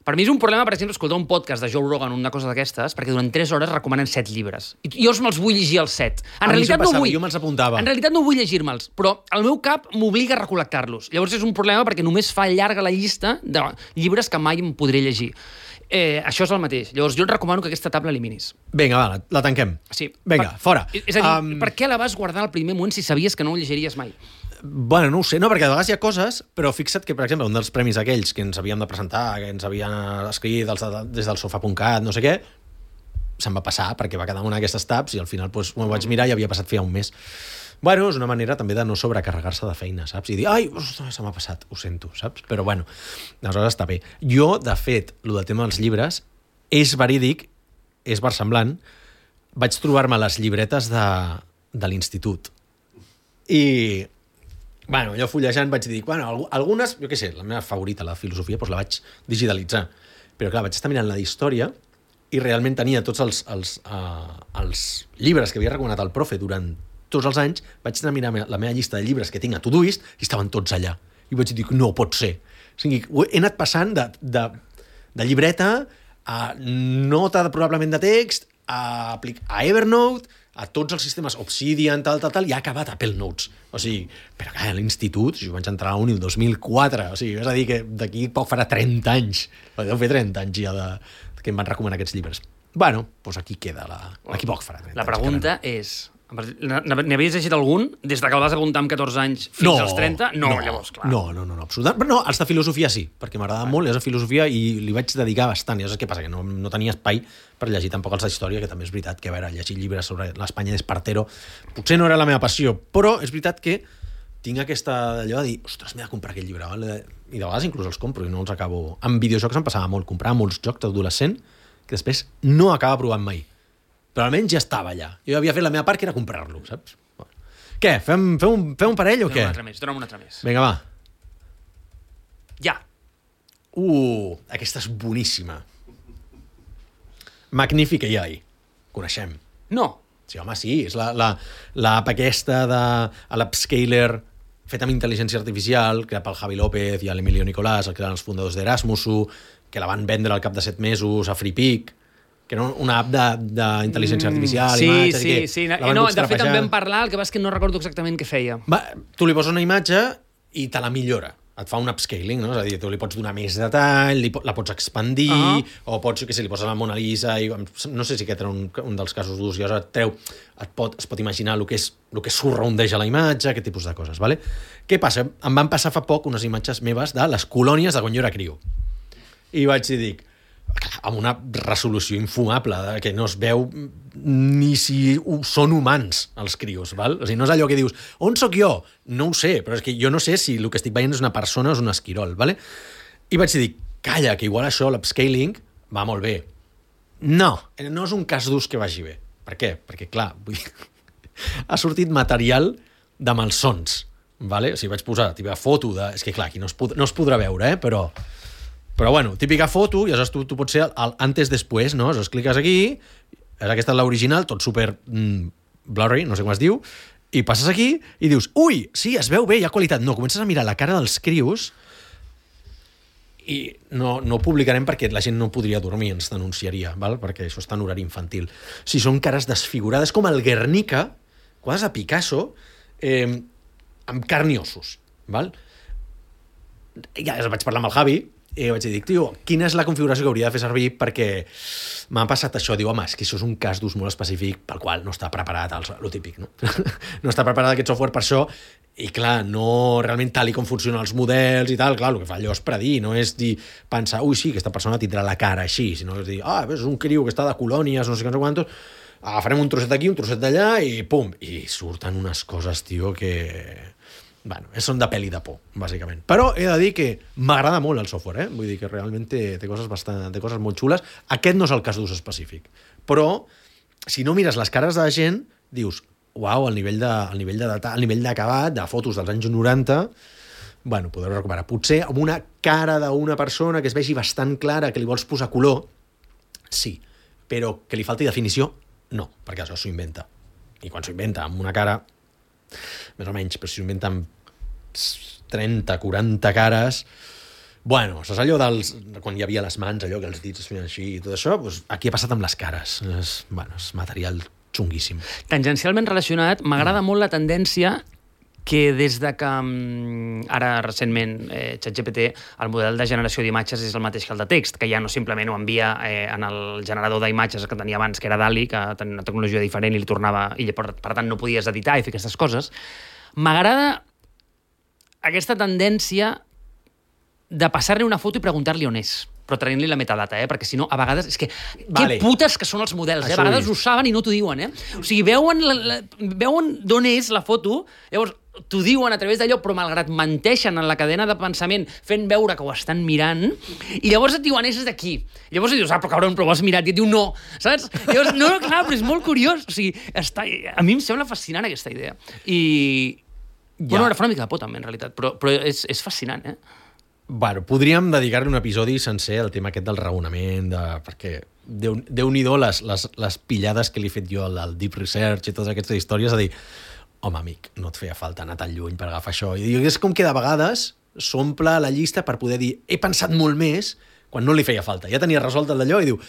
Speaker 2: Per mi és un problema, per exemple, escoltar un podcast de Joe Rogan o una cosa d'aquestes, perquè durant 3 hores recomanen 7 llibres. I jo me'ls vull llegir els 7. En realitat no vull.
Speaker 1: Jo me'ls apuntava.
Speaker 2: En realitat no vull llegir-me'ls, però el meu cap m'obliga a recol·lectar-los. Llavors és un problema perquè només fa llarga la llista de llibres que mai em podré llegir. Això és el mateix. Llavors jo et recomano que aquesta tab l'eliminis.
Speaker 1: Vinga, la tanquem.
Speaker 2: Sí.
Speaker 1: Vinga, fora.
Speaker 2: És a dir, per què la vas guardar al primer moment si sabies que no ho llegiries mai?
Speaker 1: Bueno, no ho sé, no, perquè a vegades hi ha coses, però fixa't que, per exemple, un dels premis aquells que ens havíem de presentar, que ens havien escrit des del sofà.cat, no sé què, se'm va passar, perquè va quedar una d'aquestes tabs i al final m'ho vaig mirar i havia passat feia un mes. Bueno, és una manera també de no sobrecarregar-se de feina, saps? I dir, ai, se m'ha passat, ho sento, saps? Però bueno, aleshores està bé. Jo, de fet, el del tema dels llibres és verídic, és versemblant, vaig trobar-me les llibretes de l'institut. I, bueno, allò fullejant vaig dir, bueno, algunes, jo què sé, la meva favorita, la filosofia, doncs la vaig digitalitzar. Però clar, vaig estar mirant la d'història i realment tenia tots els llibres que havia recomanat el profe durant tots els anys, vaig anar a mirar la meva llista de llibres que tinc a Todoist i estaven tots allà. I vaig dir, no pot ser. O sigui, he anat passant de llibreta a nota probablement de text, a Evernote, a tots els sistemes Obsidian, tal, i ha acabat Apple Notes. O sigui, però clar, a l'institut, jo vaig entrar a la uni el 2004, o sigui, és a dir que d'aquí poc farà 30 anys, deu fer 30 anys ja que em van recomanar aquests llibres. Bueno, doncs aquí queda aquí poc farà 30
Speaker 2: La pregunta és... N'havies llegit algun des de que el vas apuntar amb 14 anys fins als 30? No, llavors, clar.
Speaker 1: No, absolutament. Però no, els de filosofia sí, perquè m'agradava molt, és de filosofia i li vaig dedicar bastant. I saps què passa? Que no tenia espai per llegir tampoc els d'història, que també és veritat que, a veure, llegir llibres sobre l'Espanya d'Espartero potser no era la meva passió, però és veritat que tinc aquesta allò de dir, ostres, m'he de comprar aquest llibre, vale? I de vegades inclús els compro i no els acabo... Amb videojocs em passava molt, comprava molts jocs d'adolescent que després no acaba provant mai. Però almenys ja estava allà. Jo havia fet la meva part, que era comprar-lo, saps? Què, fem un parell o què?
Speaker 2: Dona'm un altre més.
Speaker 1: Vinga, va.
Speaker 2: Ja.
Speaker 1: Aquesta és boníssima. Magnific AI. Coneixem.
Speaker 2: No.
Speaker 1: Sí, home, sí. És l'app aquesta de l'Upscaler feta amb intel·ligència artificial, creat pel Javi López i l'Emilio Nicolás, que eren els fundadors d'Erasmusu, que la van vendre al cap de 7 mesos a FreePic, que era una app d'intel·ligència artificial, imatges...
Speaker 2: Sí. No, de fet, en vam parlar, el que va és que no recordo exactament què feia.
Speaker 1: Tu li poses una imatge i te la millora. Et fa un upscaling, no? És a dir, tu li pots donar més detall, la pots expandir, o pots, jo què sé, li poses la Mona Lisa, i no sé si aquest era un dels casos d'ús, i llavors es pot imaginar el que surroundeja la imatge, aquest tipus de coses, ¿vale? Què passa? Em van passar fa poc unes imatges meves de les colònies de quan jo era criu. I vaig dir, amb una resolució infumable, que no es veu ni si són humans els crios, val? O sigui, no és allò que dius, on sóc jo? No ho sé, però és que jo no sé si el que estic veient és una persona o és un esquirol, vale? I vaig dir, calla, que igual això, l'upscaling, va molt bé. No és un cas d'ús que vagi bé. Per què? Perquè, clar, ha sortit material de malsons, vale? O sigui, vaig posar la teva foto de... És que, clar, aquí no es podrà veure, Però bueno, típica foto, i aleshores tu pots ser el antes-después, no? Aleshores cliques aquí, aquesta és l'original, tot super blurry, no sé com es diu, i passes aquí i dius, ui, sí, es veu bé, hi ha qualitat. No, comences a mirar la cara dels crios i no ho publicarem perquè la gent no podria dormir, ens denunciaria, val? Perquè això està en horari infantil. Si són cares desfigurades, com el Guernica, quadres de Picasso, amb carn i ossos, val? Ja vaig parlar amb el Javi, i vaig dir, tio, quina és la configuració que hauria de fer servir perquè m'ha passat això. Diu, home, és que això és un cas d'ús molt específic pel qual no està preparat, lo típic, no? No està preparat aquest software per això i, clar, no realment tal i com funcionen els models i tal, clar, el que fa allò és predir, no és dir, pensar, ui, sí, aquesta persona tindrà la cara així, sinó és dir, és un criu que està de colònies, no sé quantos, agafarem un trosset d'aquí, un trosset d'allà i pum, i surten unes coses, tio, que... Bueno, són de pel·li de por, bàsicament. Però he de dir que m'agrada molt el software, Vull dir que realment té coses molt xules. Aquest no és el cas d'ús específic. Però, si no mires les cares de la gent, dius, uau, el nivell d'acabat, de fotos dels anys 90, bueno, podeu recuperar. Potser amb una cara d'una persona que es vegi bastant clara, que li vols posar color, sí. Però que li falti definició, no, perquè això s'ho inventa. I quan s'ho inventa amb una cara... més o menys, però si s'ho inventa amb 30, 40 cares, bueno, saps allò quan hi havia les mans, allò que els dits es feien així i tot això, doncs aquí ha passat amb les cares. És material xunguíssim.
Speaker 2: Tangencialment relacionat, m'agrada molt la tendència que des de que ara recentment ChatGPT, el model de generació d'imatges és el mateix que el de text, que ja no simplement ho envia en el generador d'imatges que tenia abans, que era DALL-E, que tenia una tecnologia diferent i li tornava, i per tant no podies editar i fer aquestes coses. M'agrada aquesta tendència de passar-li una foto i preguntar-li on és, però traient-li la metadata, perquè si no, a vegades... És que, que putes que són els models, a vegades ho saben i no t'ho diuen, O sigui, veuen d'on és la foto, llavors, t'ho diuen a través d'allò, però malgrat menteixen en la cadena de pensament, fent veure que ho estan mirant, i llavors et diuen, és d'aquí. Llavors et dius, però cabron, però ho has mirat, i et diu, no, saps? Llavors, no, clar, però és molt curiós. O sigui, a mi em sembla fascinant aquesta idea. I... Bueno, ara fa una mica de por, també, en realitat, però és fascinant, eh?
Speaker 1: Bueno, podríem dedicar-li un episodi sencer al tema aquest del raonament, perquè Déu-n'hi-do les pillades que li he fet jo al Deep Research i totes aquestes històries, a dir, home, amic, no et feia falta anar tan lluny per agafar això. I és com que de vegades s'omple la llista per poder dir, he pensat molt més, quan no li feia falta. Ja tenia resolt el d'allò i diu,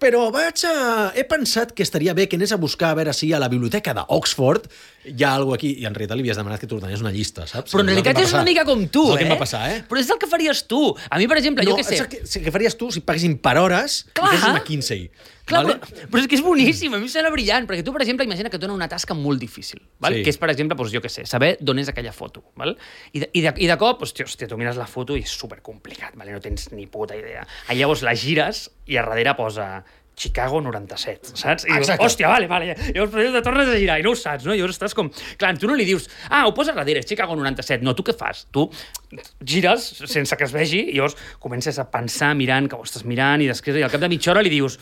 Speaker 1: però he pensat que estaria bé que anés a buscar a veure si a la biblioteca d'Oxford hi ha alguna aquí. I en realitat li havies demanat que t'ordenés una llista, saps?
Speaker 2: Però en realitat és una mica com tu,
Speaker 1: és el que em va passar, eh?
Speaker 2: Però és el que faries tu. A mi, per exemple, jo què sé...
Speaker 1: No, és el que faries tu si paguessin per hores i fessis McKinsey.
Speaker 2: Clar, vale? però és que és boníssim, a mi em sembla brillant, perquè tu, per exemple, imagina que et dona una tasca molt difícil, val?
Speaker 1: Sí.
Speaker 2: Que és, per exemple, doncs, jo què sé, saber d'on és aquella foto. Val? I de cop, hòstia, tu mires la foto i és supercomplicat, vale? No tens ni puta idea. Llavors la gires i a darrere posa Chicago 97, saps? I dius, hòstia, vale. Llavors te tornes a girar i no ho saps, no? Llavors estàs com... Clar, tu no li dius, ho posa darrere, és Chicago 97. No, tu què fas? Tu gires sense que es vegi i llavors comences a pensar mirant que ho estàs mirant i després al cap de mitja hora li dius,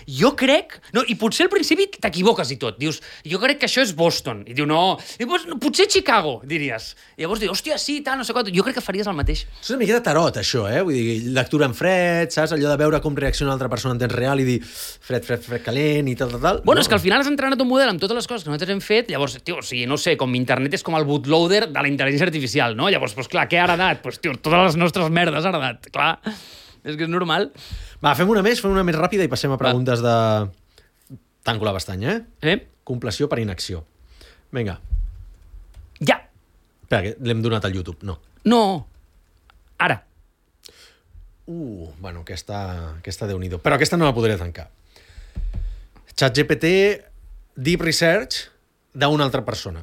Speaker 2: jo crec... No, i potser al principi t'equivoques i tot. Dius, jo crec que això és Boston. I diu, no. I dius, potser Chicago, diries. I llavors dius, hòstia, sí, tal, no sé què. Jo crec que faries el mateix.
Speaker 1: És una miqueta tarot, això, eh? Vull dir, lectura en fred, saps? Allò de veure com reacciona l'altra persona en temps real i dir fred, calent i tal.
Speaker 2: Bueno, és que al final has entrenat un model amb totes les coses que nosaltres hem fet, llavors, tio, o sigui, no sé, com internet és com el bootloader de la intel·ligència artificial, no? Llavors, doncs clar, què ha heredat? Doncs, tio, totes les nostres merdes ha heredat, clar. És que és normal.
Speaker 1: Va, fem una més ràpida i passem a preguntes de... Tanco la pestanya, eh? Compleció per inacció. Vinga.
Speaker 2: Ja.
Speaker 1: Espera, que l'hem donat al YouTube, no.
Speaker 2: No. Ara.
Speaker 1: Bueno, aquesta Déu-n'hi-do. Però aquesta no la podré tancar. ChatGPT Deep Research d'una altra persona.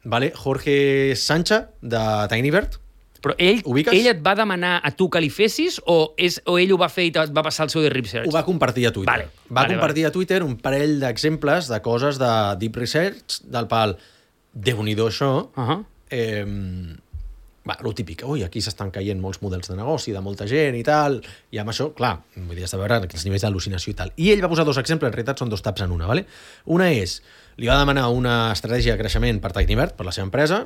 Speaker 1: Vale? Jorge Sancha, de TinyBird.
Speaker 2: Però ell et va demanar a tu que li fessis o ell ho va fer i et va passar el seu Deep Research?
Speaker 1: Ho va compartir a Twitter. Va compartir a Twitter un parell d'exemples de coses de Deep Research, del pal, Déu-n'hi-do això. Lo típic, aquí s'estan caient molts models de negoci, de molta gent i tal, i amb això, clar, vull dir, has de veure els nivells d'al·lucinació i tal. I ell va posar dos exemples, en realitat són dos taps en una, ¿vale? Una és, li va demanar una estratègia de creixement per TinyBird, per la seva empresa,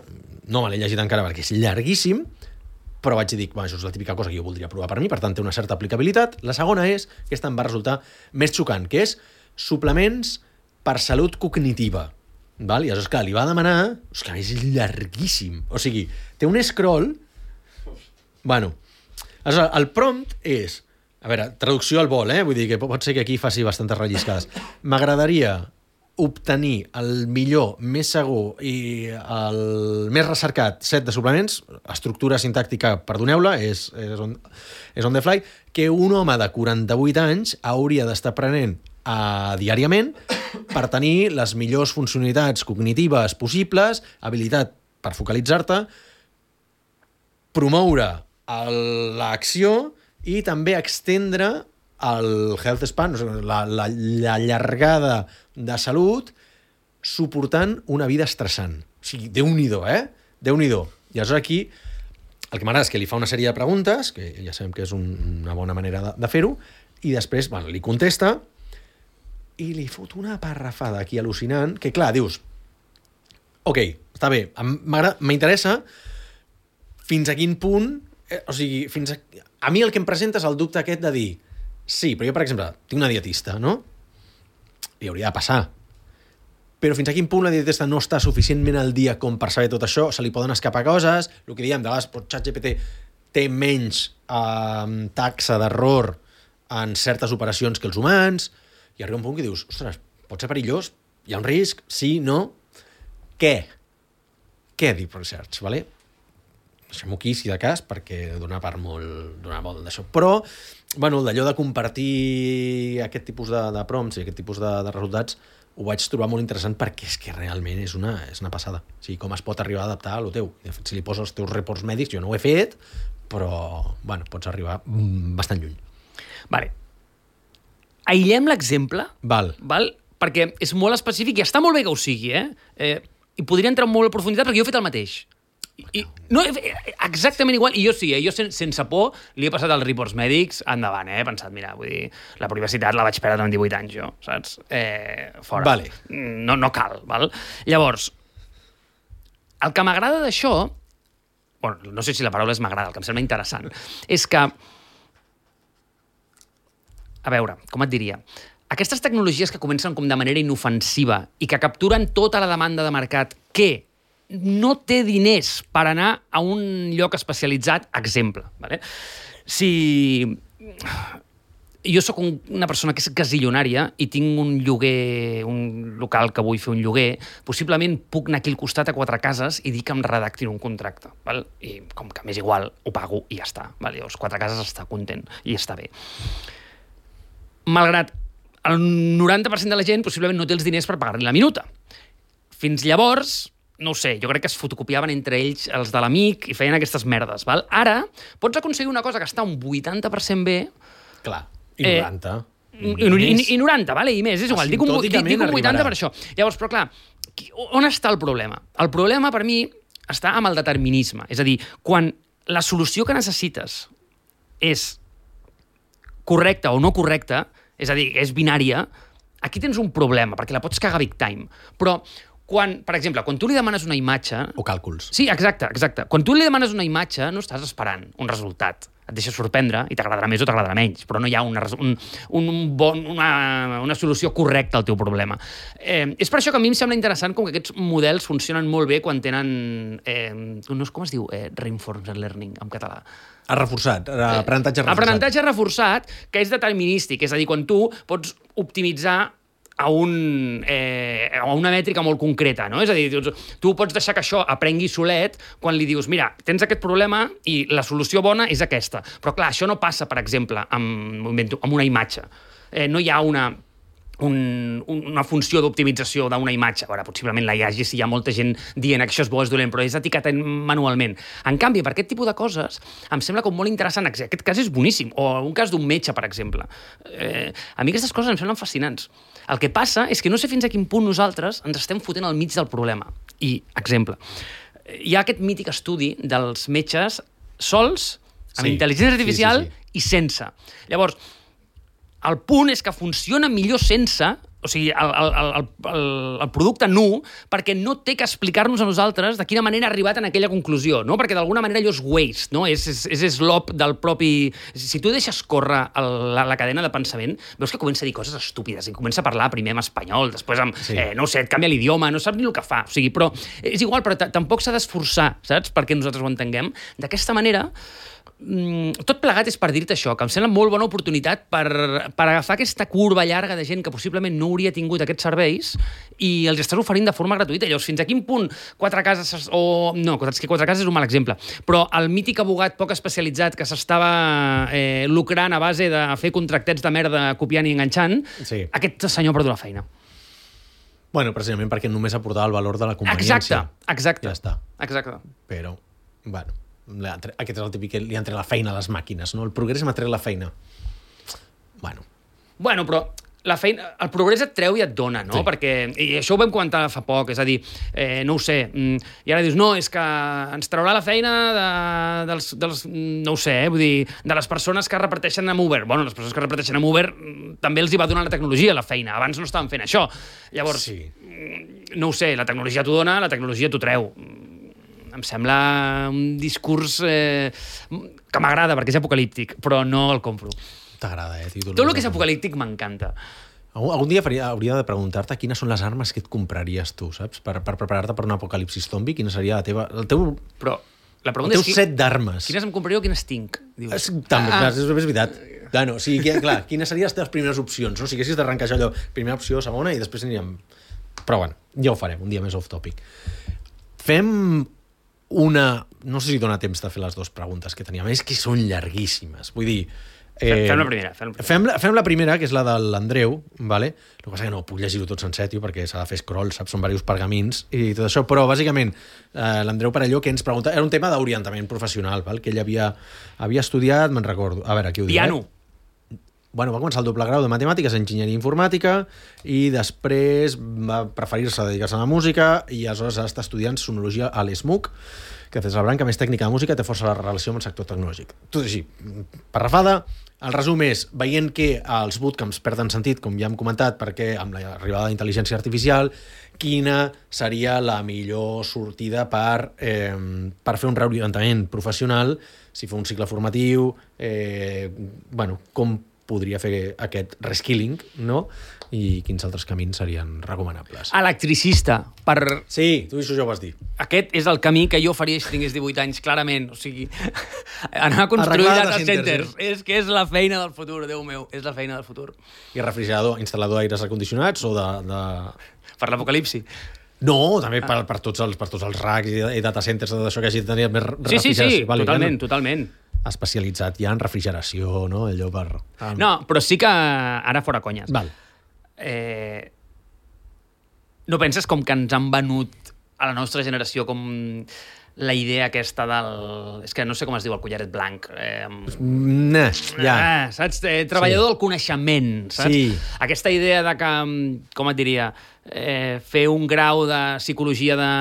Speaker 1: no me l'he llegit encara perquè és llarguíssim, però vaig dir, això és la típica cosa que jo voldria provar per mi, per tant té una certa aplicabilitat. La segona és, aquesta em va resultar més xocant, que és suplements per salut cognitiva. Val? I aleshores, clar, li va demanar... És que és llarguíssim. O sigui, té un scroll... Bueno, aleshores, el prompt és... A veure, traducció al vol, Vull dir que pot ser que aquí faci bastantes relliscades. M'agradaria obtenir el millor, més segur i el més recercat set de suplements, estructura sintàctica, perdoneu-la, és on the fly, que un home de 48 anys hauria d'estar prenent diàriament per tenir les millors funcionalitats cognitives possibles, habilitat per focalitzar-te, promoure l'acció i també extendre el health span, la llargada de salut, suportant una vida estressant. O sigui, Déu-n'hi-do, Déu-n'hi-do. I aleshores aquí el que m'agrada és que li fa una sèrie de preguntes, que ja sabem que és una bona manera de fer-ho, i després li contesta i li fot una parrafada aquí al·lucinant, que clar, dius, ok, està bé, m'interessa fins a quin punt, o sigui, a mi el que em presenta és el dubte aquest de dir, sí, però jo, per exemple, tinc una dietista, no? Li hauria de passar. Però fins a quin punt la dietista no està suficientment al dia com per saber tot això, se li poden escapar coses, el que diem, de vegades, ChatGPT té menys taxa d'error en certes operacions que els humans, i arriba un punt que dius, ostres, pot ser perillós? Hi ha un risc? Sí? No? Què? Què Deep Research, vale? Deixem-ho aquí, si de cas, perquè dona molt d'això. Però, bueno, d'allò de compartir aquest tipus de prompts i aquest tipus de resultats, ho vaig trobar molt interessant perquè és que realment és una passada. O sigui, com es pot arribar a adaptar a lo teu. De fet, si li poses els teus reports mèdics, jo no ho he fet, però, bueno, pots arribar bastant lluny.
Speaker 2: Vale. Aïllem l'exemple,
Speaker 1: Val.
Speaker 2: perquè és molt específic i està molt bé que ho sigui, i podria entrar molt a profunditat perquè jo he fet el mateix. No, exactament igual, i jo sí, jo sense por li he passat als reports mèdics endavant, he pensat, mira, vull dir, la privacitat la vaig perdre amb 18 anys jo, saps? Fora.
Speaker 1: Vale.
Speaker 2: No cal, val? Llavors, el que m'agrada d'això, bueno, no sé si la paraula és m'agrada, el que em sembla interessant, és que, a veure, com et diria, aquestes tecnologies que comencen com de manera inofensiva i que capturen tota la demanda de mercat que no té diners per anar a un lloc especialitzat, exemple. Vale? Si jo sóc una persona que és gasillonària i tinc un lloguer, un local que vull fer un lloguer, possiblement puc anar aquí al costat a 4 cases i dir que em redactin un contracte. Val? I com que m'és igual, ho pago i ja està. Val? Llavors, 4 cases està content i està bé. Malgrat el 90% de la gent possiblement no té els diners per pagar-li la minuta. Fins llavors, no ho sé, jo crec que es fotocopiaven entre ells els de l'amic i feien aquestes merdes. Val? Ara pots aconseguir una cosa que està un 80% bé.
Speaker 1: Clar, i 90.
Speaker 2: I 90, vale? I més, és igual. Dic un 80 per això. Llavors, però clar, on està el problema? El problema, per mi, està amb el determinisme. És a dir, quan la solució que necessites és correcta o no correcta, és a dir, és binària, aquí tens un problema, perquè la pots cagar big time. Però, per exemple, quan tu li demanes una imatge...
Speaker 1: O càlculs.
Speaker 2: Sí, exacte. Quan tu li demanes una imatge, no estàs esperant un resultat. Et deixa sorprendre i t'agradarà més o t'agradarà menys, però no hi ha una solució correcta al teu problema. És per això que a mi em sembla interessant com que aquests models funcionen molt bé quan tenen... com es diu? Reinforcement learning, en català.
Speaker 1: Aprenentatge reforçat.
Speaker 2: Aprenentatge reforçat, que és determinístic. És a dir, quan tu pots optimitzar a una mètrica molt concreta, no? És a dir, tu pots deixar que això aprengui solet quan li dius, mira, tens aquest problema i la solució bona és aquesta. Però clar, això no passa, per exemple, amb una imatge. No hi ha una funció d'optimització d'una imatge. Ara, possiblement la hi hagi si hi ha molta gent dient que això és bo, és dolent, però és etiquetat manualment. En canvi, per aquest tipus de coses, em sembla com molt interessant. Aquest cas és boníssim. O un cas d'un metge, per exemple. A mi aquestes coses em semblen fascinants. El que passa és que no sé fins a quin punt nosaltres ens estem fotent al mig del problema. I, exemple, hi ha aquest mític estudi dels metges sols, amb intel·ligència artificial i sense. Llavors, el punt és que funciona millor sense, o sigui, el producte nu, perquè no té que explicar-nos a nosaltres de quina manera ha arribat en aquella conclusió, no? Perquè d'alguna manera allò és waste, no? És slop del propi... Si tu deixes córrer la cadena de pensament, veus que comença a dir coses estúpides i comença a parlar primer en espanyol, després amb... no ho sé, et canvia l'idioma, no saps ni el que fa. O sigui, però és igual, però tampoc s'ha d'esforçar, saps? Perquè nosaltres ho entenguem. D'aquesta manera, tot plegat és per dir-te això, que em sembla molt bona oportunitat per agafar aquesta curva llarga de gent que possiblement no hauria tingut aquests serveis i els estàs oferint de forma gratuïta. Llavors, fins a quin punt 4 cases... No, és que 4 cases és un mal exemple, però el mític abogat poc especialitzat que s'estava lucrant a base de fer contractets de merda copiant i enganxant, aquest senyor ha perdut la feina.
Speaker 1: Bueno, precisament perquè només aportava el valor de la conveniència.
Speaker 2: Exacte.
Speaker 1: Ja està.
Speaker 2: Exacte.
Speaker 1: Però, bueno... Aquest és el típic que li han tret la feina a les màquines, no? El progrés m'ha tret la feina.
Speaker 2: Bueno, però la feina, el progrés et treu i et dona, no? Sí. Perquè, i això ho vam comentar fa poc, és a dir, no ho sé, i ara dius, no, és que ens traurà la feina dels no ho sé, vull dir, de les persones que reparteixen amb Uber. Bueno, les persones que reparteixen amb Uber també els hi va donar la tecnologia la feina, abans no estaven fent això. Llavors, no ho sé, la tecnologia t'ho dona, la tecnologia t'ho treu. Em sembla un discurs que m'agrada perquè és apocalíptic, però no el compro.
Speaker 1: T'agrada, títol.
Speaker 2: Tot el que és apocalíptic m'encanta.
Speaker 1: Algun dia hauria de preguntar-te quines són les armes que et compraries tu, saps? Per preparar-te per un apocalipsis zombi, quina seria la teva...
Speaker 2: Però la pregunta és...
Speaker 1: set d'armes.
Speaker 2: Quines em compraria o quines tinc?
Speaker 1: També, és veritat. Bueno, o sigui, clar, quines serien les teves primeres opcions? No? Si haguessis d'arrencar allò, primera opció, segona, i després aniríem... Però bueno, ja ho farem, un dia més off-topic. Fem no sé si dona temps de fer les 2 preguntes que teníem, és que són llarguíssimes, vull dir...
Speaker 2: Fem la primera.
Speaker 1: Fem la primera, que és la de l'Andreu, vale? El que passa que no puc llegir-ho tot sencer, tio, perquè s'ha de fer scroll, saps? Són diversos pergamins i tot això, però bàsicament l'Andreu Parelló que ens pregunta, era un tema d'orientament professional, val? Que ell havia estudiat, me'n recordo, a veure, aquí ho diu.
Speaker 2: Piano.
Speaker 1: va començar el doble grau de matemàtiques, enginyeria informàtica, i després va preferir-se dedicar-se a la música i aleshores està estudiant sonologia a l'ESMUC, que és la branca més tècnica de música, té força la relació amb el sector tecnològic. Tot així, parrafada. El resum és, veient que els bootcamps perden sentit, com ja hem comentat, perquè amb l'arribada de l'intel·ligència artificial, quina seria la millor sortida per fer un reorientament professional, si fa un cicle formatiu, com podria fer aquest reskilling, no? I quins altres camins serien recomanables.
Speaker 2: Electricista, per...
Speaker 1: Sí, tu això ja ho vas dir.
Speaker 2: Aquest és el camí que jo faria si tingués 18 anys, clarament. O sigui, anar a construir data centers. És la feina del futur, Déu meu, és la feina del futur.
Speaker 1: I refrigerador, instal·lador d'aires acondicionats o de...
Speaker 2: Per l'apocalipsi.
Speaker 1: No, també per tots els racks i data centers, tot això que hagi de tenir més refrigeració.
Speaker 2: Sí, totalment.
Speaker 1: Especialitzat ja en refrigeració, no? Allò per...
Speaker 2: No, però sí que ara fora conyes.
Speaker 1: Val.
Speaker 2: No penses com que ens han venut a la nostra generació com la idea aquesta del... És que no sé com es diu el collaret blanc. Saps? Treballador del coneixement, saps?
Speaker 1: Sí.
Speaker 2: Aquesta idea de que, com et diria, fer un grau de psicologia de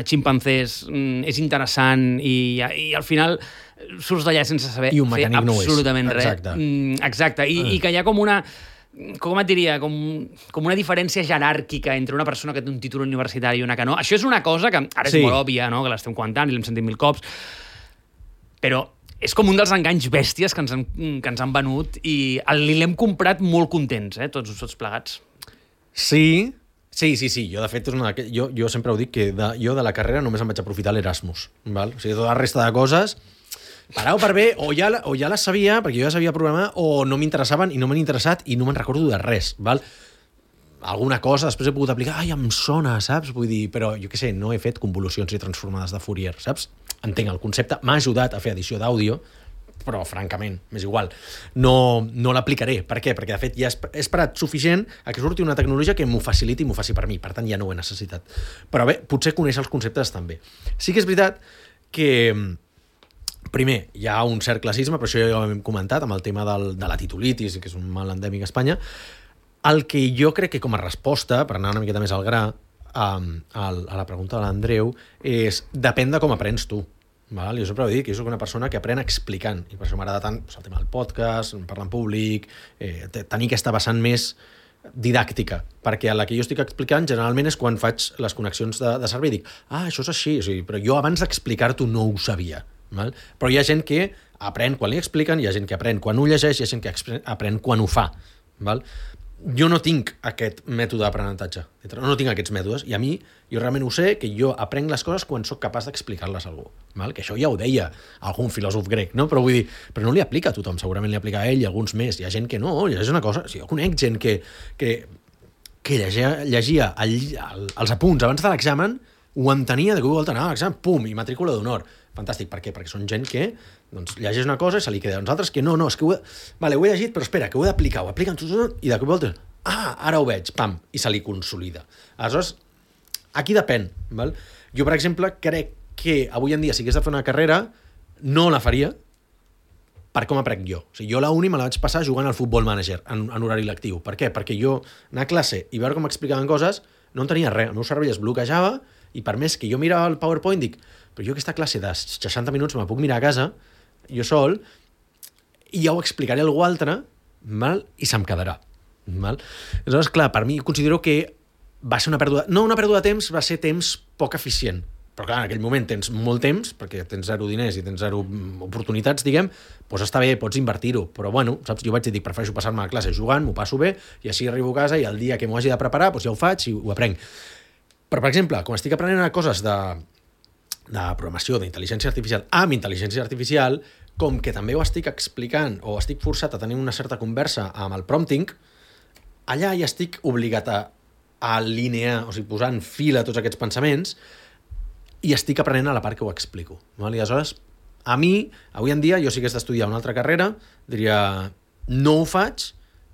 Speaker 2: ximpanzés és interessant i al final surts d'allà sense saber fer absolutament res. Exacte. I que hi ha com una... Com et diria? Com una diferència jeràrquica entre una persona que té un títol universitari i una que no. Això és una cosa que ara és molt òbvia, no? Que l'estem comentant i l'hem sentit 1000 cops, però és com un dels enganys bèsties que ens han venut i l'hem comprat molt contents, tots plegats.
Speaker 1: Sí. Jo, de fet, jo sempre ho dic, que jo de la carrera només em vaig aprofitar l'Erasmus. Val? O sigui, tota la resta de coses... Per A o per B, o ja les sabia, perquè jo ja sabia programar, o no m'interessaven i no m'han interessat i no me'n recordo de res, val? Alguna cosa després he pogut aplicar, em sona, saps? Vull dir, però jo què sé, no he fet convolucions i transformades de Fourier, saps? Entenc el concepte, m'ha ajudat a fer edició d'àudio, però francament, m'és igual. No l'aplicaré. Per què? Perquè de fet ja he esperat suficient a que surti una tecnologia que m'ho faciliti i m'ho faci per mi, per tant ja no ho he necessitat. Però bé, potser conèixer els conceptes també. Sí que és veritat que... Primer, hi ha un cert classisme, però això ja ho hem comentat, amb el tema de la titulitis, que és un mal endèmic a Espanya. El que jo crec que com a resposta, per anar una miqueta més al gra, a la pregunta de l'Andreu, és depèn de com aprens tu. Val? Jo sempre ho dic, que jo soc una persona que aprèn explicant, i per això m'agrada tant el tema del podcast, parlar en públic, tenir aquesta vessant més didàctica, perquè a la que jo estic explicant generalment és quan faig les connexions de servei i dic, això és així, o sigui, però jo abans d'explicar-t'ho no ho sabia. Val? Però hi ha gent que aprèn quan li expliquen, hi ha gent que aprèn quan ho llegeix, hi ha gent que aprèn quan ho fa. Val? Jo no tinc aquest mètode d'aprenentatge, no tinc aquests mètodes, i a mi, jo realment ho sé, que jo aprenc les coses quan sóc capaç d'explicar-les a algú. Val? Que això ja ho deia algun filòsof grec, no? Però vull dir, però no li aplica a tothom, segurament li aplica a ell i a alguns més. Hi ha gent que no, llegeix una cosa... Jo conec gent que llegia els apunts abans de l'examen, ho entenia de que vol anar a l'examen, pum, i matrícula d'honor. Fantàstic, per què? Perquè són gent que llegeix una cosa i se li queda. Uns altres que no, és que ho he llegit, però espera, que ho he d'aplicar, ho apliquen tot, i de cop i volta, ara ho veig, pam, i se li consolida. Aleshores, aquí depèn. Val? Jo, per exemple, crec que avui en dia, si hagués de fer una carrera, no la faria per com aprenc jo. O sigui, jo la uni me la vaig passar jugant al Football Manager en horari lectiu. Per què? Perquè jo anar a classe i veure com explicaven coses no en tenia res. El meu cervell es bloquejava i per més que jo mirava el PowerPoint dic, però jo aquesta classe de 60 minuts me puc mirar a casa, jo sol, i ja ho explicaré a algú altre, val? I se'm quedarà. Val? Aleshores, clar, per mi considero que va ser una pèrdua... No una pèrdua de temps, va ser temps poc eficient. Però clar, en aquell moment tens molt temps, perquè tens 0 diners i tens 0 oportunitats, diguem, doncs està bé, pots invertir-ho. Però bueno, saps, jo vaig dir, prefereixo passar-me a classe jugant, m'ho passo bé, i així arribo a casa i el dia que m'ho hagi de preparar, doncs ja ho faig i ho aprenc. Però, per exemple, quan estic aprenent coses de programació, d'intel·ligència artificial, amb intel·ligència artificial, com que també ho estic explicant o estic forçat a tenir una certa conversa amb el prompting, allà ja estic obligat a alinear, o sigui, posar en fila tots aquests pensaments i estic aprenent a la part que ho explico. Val? I aleshores, a mi, avui en dia, jo si hagués d'estudiar una altra carrera, diria, no ho faig,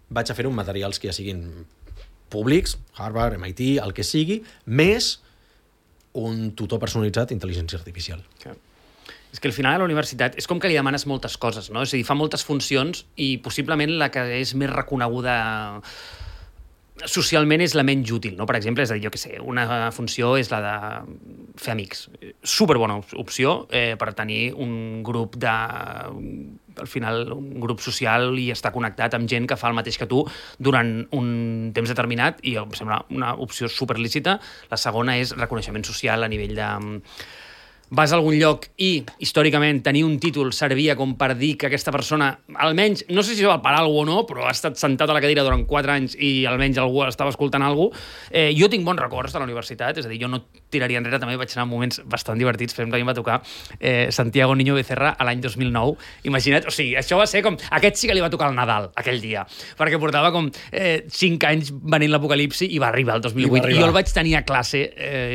Speaker 1: vaig a fer-ho amb materials que ja siguin públics, Harvard, MIT, el que sigui, més un tutor personalitzat d'intel·ligència artificial.
Speaker 2: Okay. És que al final a la universitat és com que li demanes moltes coses, no? És a dir, fa moltes funcions i possiblement la que és més reconeguda socialment és la menys útil, no? Per exemple, és a dir, jo què sé, una funció és la de fer amics. Superbona opció per tenir un grup al final, un grup social i estar connectat amb gent que fa el mateix que tu durant un temps determinat i em sembla una opció superlícita. La segona és reconeixement social a nivell de... Vas a algun lloc i, històricament, tenir un títol servia com per dir que aquesta persona, almenys, no sé si va per alguna cosa o no, però ha estat sentat a la cadira durant 4 anys i almenys algú estava escoltant alguna cosa. Jo tinc bons records de la universitat, és a dir, jo no tiraria enrere, també vaig anar en moments bastant divertits. Per exemple, a mi em va tocar Santiago Niño Becerra a l'any 2009. Imagina't, o sigui, això va ser com... Aquest sí que li va tocar el Nadal, aquell dia, perquè portava com 5 anys venint l'apocalipsi i va arribar el 2008. I jo el vaig tenir a classe,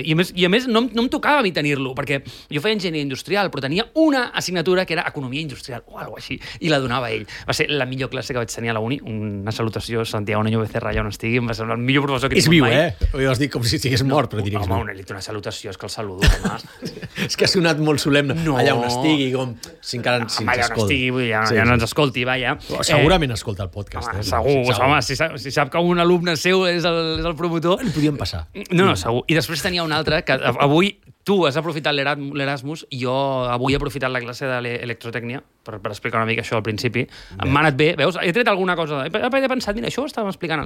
Speaker 2: i a més no em tocava a mi tenir-lo, perquè jo feia enginyeria industrial, però tenia una assignatura que era economia industrial o alguna així, i la donava ell. Va ser la millor classe que vaig tenir a la uni. Una salutació a Santiago Niño Becerra, allà on estigui, em va semblar el millor professor que he tingut mai.
Speaker 1: És viu, eh? Ho has dit com si estigués mort, però diries...
Speaker 2: Home, una salutació, és que el saludo, home.
Speaker 1: És que ha sonat molt solemne.
Speaker 2: No.
Speaker 1: Allà on estigui, com si encara ens
Speaker 2: allà on
Speaker 1: escolti.
Speaker 2: estigui, ja no ens escolti, vaja.
Speaker 1: Segurament escolta el podcast.
Speaker 2: Home, segur. Home, si sap que un alumne seu és el promotor...
Speaker 1: Li podíem passar.
Speaker 2: No, segur. I després tenia un altre que avui tu has aprofitat l'Erasmus i jo avui he aprofitat la classe d'electrotècnia per explicar una mica això al principi. M'ha anat bé, veus? He tret alguna cosa. He pensat, mira, això ho estàvem explicant a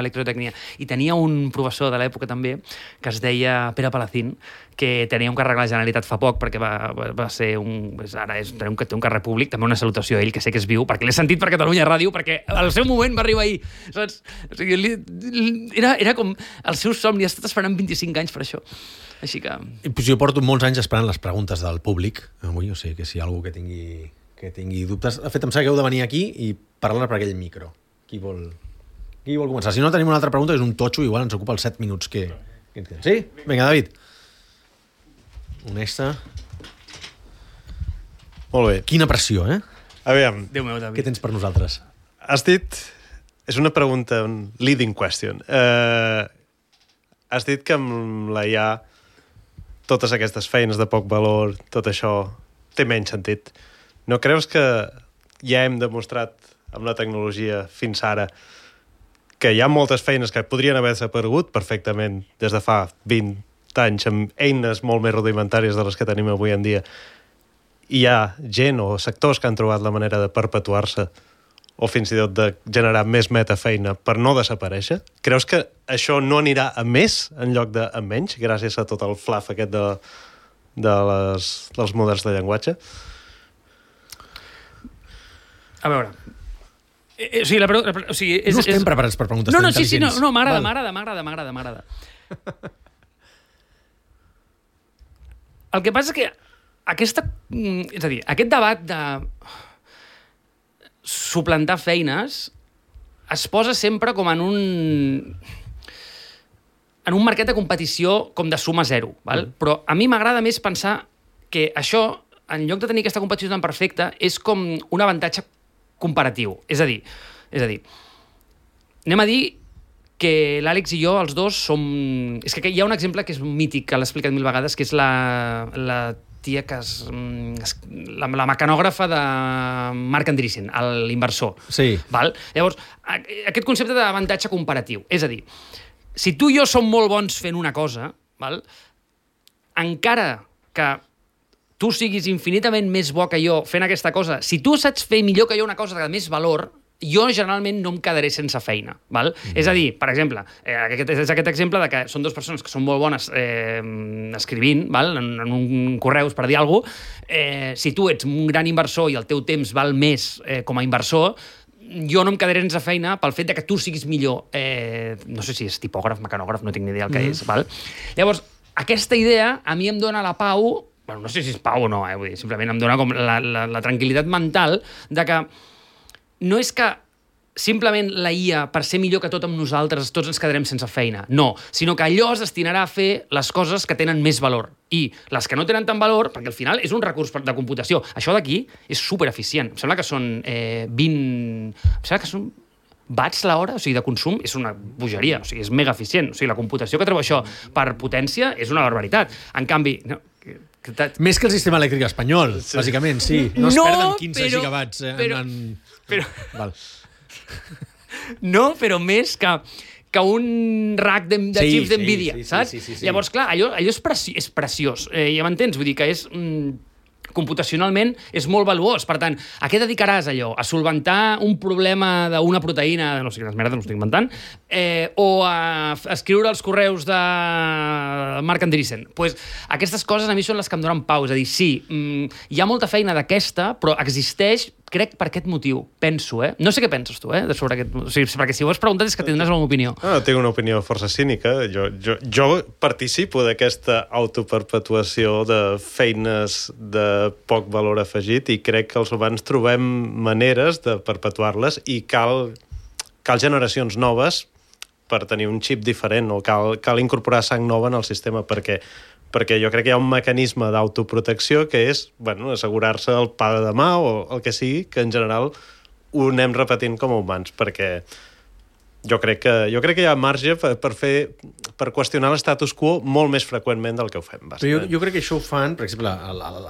Speaker 2: electrotècnia. I tenia un professor de l'època també que es deia Pere Palacín, que tenia un càrrec a la Generalitat fa poc, perquè va ser ara té un càrrec públic, també una salutació a ell, que sé que és viu, perquè l'he sentit per Catalunya Ràdio, perquè al seu moment va arribar ahir, saps? O sigui, era com el seu somni, ha estat esperant 25 anys per això. Així que...
Speaker 1: Pues jo porto molts anys esperant les preguntes del públic avui, o sigui que si hi ha algú que tingui dubtes... De fet, em sap que heu de venir aquí i parlar per aquell micro. Qui vol començar? Si no tenim una altra pregunta, és un totxo, igual ens ocupa els 7 minuts que ens queden. Sí? Vinga, David. Honesta.
Speaker 3: Molt bé.
Speaker 1: Quina pressió, eh?
Speaker 3: Aviam,
Speaker 2: Déu meu, David.
Speaker 1: Què tens per nosaltres?
Speaker 3: has dit... És una pregunta, un leading question. Has dit que amb la IA totes aquestes feines de poc valor, tot això, té menys sentit. No creus que ja hem demostrat amb la tecnologia fins ara que hi ha moltes feines que podrien haver desaparegut perfectament des de fa 20 anys amb eines molt més rudimentàries de les que tenim avui en dia? Hi ha gent o sectors que han trobat la manera de perpetuar-se o fins i tot de generar més metafeina per no desaparèixer? Creus que això no anirà a més en lloc de a menys, gràcies a tot el fluff aquest dels models de llenguatge?
Speaker 2: A veure... o sigui,
Speaker 1: No estem preparats per preguntes tan intel·ligents.
Speaker 2: No, m'agrada. El que passa és que és a dir, aquest debat de suplantar feines es posa sempre com en un mercat de competició com de suma zero, val? Però a mi m'agrada més pensar que això, en lloc de tenir aquesta competició tan perfecta, és com un avantatge comparatiu. És a dir, anem a dir que l'Àlex i jo, els dos, som... És que hi ha un exemple que és mític, que l'he explicat 1000 vegades, que és la tia que la mecanògrafa de Marc Andreessen, l'inversor.
Speaker 1: Sí.
Speaker 2: Val? Llavors, aquest concepte d'avantatge comparatiu. És a dir, si tu i jo som molt bons fent una cosa, val? Encara que tu siguis infinitament més bo que jo fent aquesta cosa, si tu saps fer millor que jo una cosa de més valor, jo generalment no em quedaré sense feina. Val? És a dir, per exemple, és aquest exemple de que són dues persones que són molt bones escrivint, val? En un correus per dir alguna cosa. Si tu ets un gran inversor i el teu temps val més com a inversor, jo no em quedaré sense feina pel fet de que tu siguis millor. No sé si és tipògraf, mecanògraf, no tinc ni idea el que és. Val? Llavors, aquesta idea a mi em dona la pau, bueno, no sé si és pau o no, vull dir, simplement em dona com la tranquil·litat mental de que no és que simplement la IA, per ser millor que tot amb nosaltres, tots ens quedarem sense feina. No, sinó que allò es destinarà a fer les coses que tenen més valor. I les que no tenen tant valor, perquè al final és un recurs de computació. Això d'aquí és supereficient. Em sembla que són 20... Em sembla que són watts l'hora, o sigui, de consum, és una bogeria, o sigui, és mega eficient. O sigui, la computació que treu això per potència és una barbaritat. En canvi, no,
Speaker 1: Més que el sistema elèctric espanyol, bàsicament, sí. No es perden 15 gigawatts. Val.
Speaker 2: No, però més que un rack de xips d'NVIDIA, saps?
Speaker 1: Sí.
Speaker 2: Llavors, clar, allò és preciós. Ja m'entens? Vull dir que és... computacionalment és molt valuós. Per tant, a què dedicaràs allò? A solventar un problema d'una proteïna, no sé quines merdes, no estic inventant, o a escriure els correus de Marc Andreessen? Pues, aquestes coses a mi són les que em donen pau. És a dir, sí, hi ha molta feina d'aquesta, però existeix, crec, per aquest motiu. Penso, No sé què penses tu, sobre aquest... O sigui, perquè si ho has preguntat és que tindràs alguna opinió.
Speaker 3: No, tinc una opinió força cínica. Jo participo d'aquesta autoperpetuació de feines de poc valor afegit i crec que els humans trobem maneres de perpetuar-les i cal generacions noves per tenir un xip diferent o cal incorporar sang nova en el sistema perquè jo crec que hi ha un mecanisme d'autoprotecció que és assegurar-se el pa de demà o el que sigui, que en general ho anem repetint com a humans, perquè jo crec que hi ha marge per qüestionar l'estatus quo molt més freqüentment del que ho fem.
Speaker 1: Però jo crec que això ho fan, per exemple,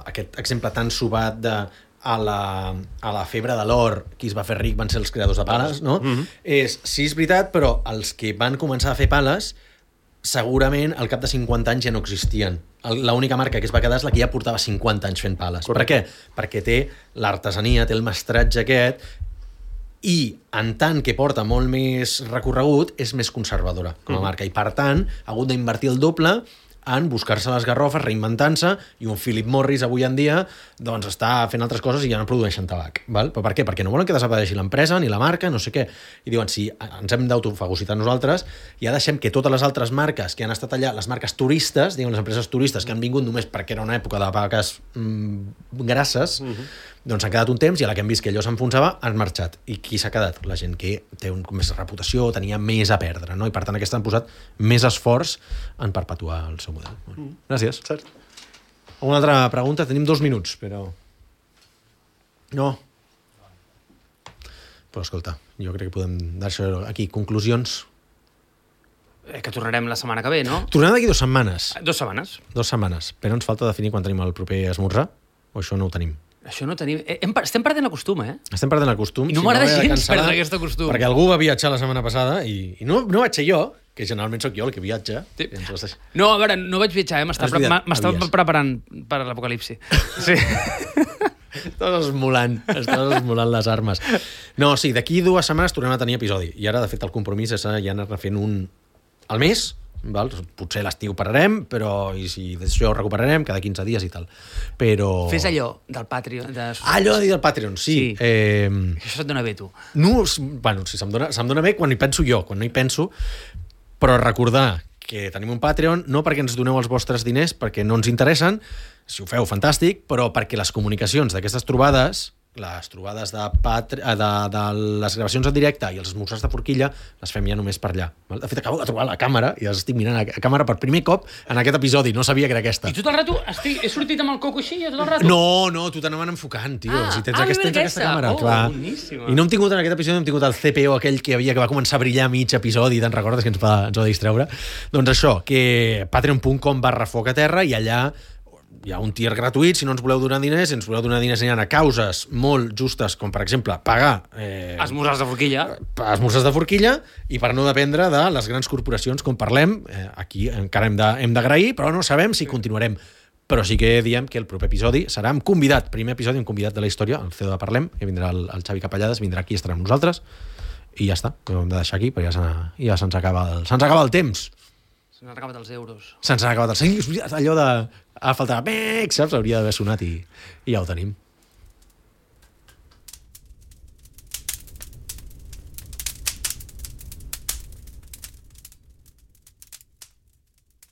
Speaker 1: aquest exemple tan sobat de a la febre de l'or, qui es va fer ric van ser els creadors de pales, no? Sí, és veritat, però els que van començar a fer pales segurament al cap de 50 anys ja no existien. L'única marca que es va quedar és la que ja portava 50 anys fent pales.
Speaker 3: Correcte.
Speaker 1: Per què? Perquè té l'artesania, té el mestratge aquest, i en tant que porta molt més recorregut, és més conservadora com a marca. I per tant, ha hagut d'invertir el doble en buscar-se les garrofes, reinventant-se, i un Philip Morris avui en dia doncs està fent altres coses i ja no produeixen tabac. Val? Però per què? Perquè no volen que desapareixi l'empresa ni la marca, no sé què. I diuen, si ens hem d'autofagocitar nosaltres, ja deixem que totes les altres marques que han estat allà, les marques turistes, diguem, les empreses turistes que han vingut només perquè era una època de vaques grasses, doncs han quedat un temps i a la que hem vist que allò s'enfonsava han marxat. I qui s'ha quedat? La gent que té més reputació, tenia més a perdre, no? I per tant aquests han posat més esforç en perpetuar el seu model. Gràcies.
Speaker 3: Cert.
Speaker 1: Una altra pregunta? Tenim 2 minuts, però... No. Però escolta, jo crec que podem deixar aquí conclusions.
Speaker 2: Que tornarem la setmana que ve, no?
Speaker 1: Tornem d'aquí 2 setmanes.
Speaker 2: 2 setmanes.
Speaker 1: 2 setmanes. Però ens falta definir quan tenim el proper esmorzar, o això no ho tenim?
Speaker 2: Això no tenim... Estem perdent el costum,
Speaker 1: Estem perdent el costum.
Speaker 2: I no m'agrada gens perdre aquest costum.
Speaker 1: Perquè algú va viatjar la setmana passada i no vaig ser jo, que generalment sóc jo el que viatja.
Speaker 2: Sí. No, a veure, no vaig viatjar, m'estava preparant per l'apocalipsi. Sí.
Speaker 1: Estàs esmolant les armes. No, sí, d'aquí 2 setmanes tornem a tenir episodi. I ara, de fet, el compromís és ja anar fent un al mes. Val? Potser l'estiu pararem, però i si d'això ho recuperarem cada 15 dies i tal. Però...
Speaker 2: Fes allò del Patreon.
Speaker 1: Allò de dir del Patreon, sí.
Speaker 2: Això se't dona bé, tu.
Speaker 1: No, bueno, sí, se'm dona bé quan hi penso jo, quan no hi penso, però recordar que tenim un Patreon, no perquè ens doneu els vostres diners, perquè no ens interessen, si ho feu, fantàstic, però perquè les comunicacions d'aquestes trobades, les trobades de les gravacions en directe i els esmorzars de forquilla les fem ja només per allà. De fet, acabo de trobar la càmera i estic mirant a càmera per primer cop en aquest episodi. No sabia que era aquesta.
Speaker 2: I tot el rato he sortit amb el coco així, tot el rato?
Speaker 1: No, tu t'anaven enfocant, tio. Si tens aquesta càmera, clar.
Speaker 2: Boníssima.
Speaker 1: I no hem tingut en aquest episodi, hem tingut el CPO aquell que va començar a brillar a mig episodi, te'n recordes que ens va distreure? Doncs això, que patreon.com/focaterra i allà hi ha un tier gratuït, si no ens voleu donar diners, si ens voleu donar diners a causes molt justes, com per exemple pagar
Speaker 2: esmorzars de forquilla.
Speaker 1: Esmorzars de forquilla, i per no dependre de les grans corporacions, com parlem, aquí encara hem d'agrair, però no sabem si continuarem. Però sí que diem que el proper episodi serà amb convidat, primer episodi amb convidat de la història, el CEO de Parlem, que vindrà el Xavi Capellades, vindrà aquí, estarà amb nosaltres, i ja està, ho hem de deixar aquí, perquè ja se'ns acaba el temps.
Speaker 2: Se'ns han acabat els euros.
Speaker 1: Se'ns han acabat els euros. Allò de... faltava... saps? Hauria d'haver sonat i ja ho tenim.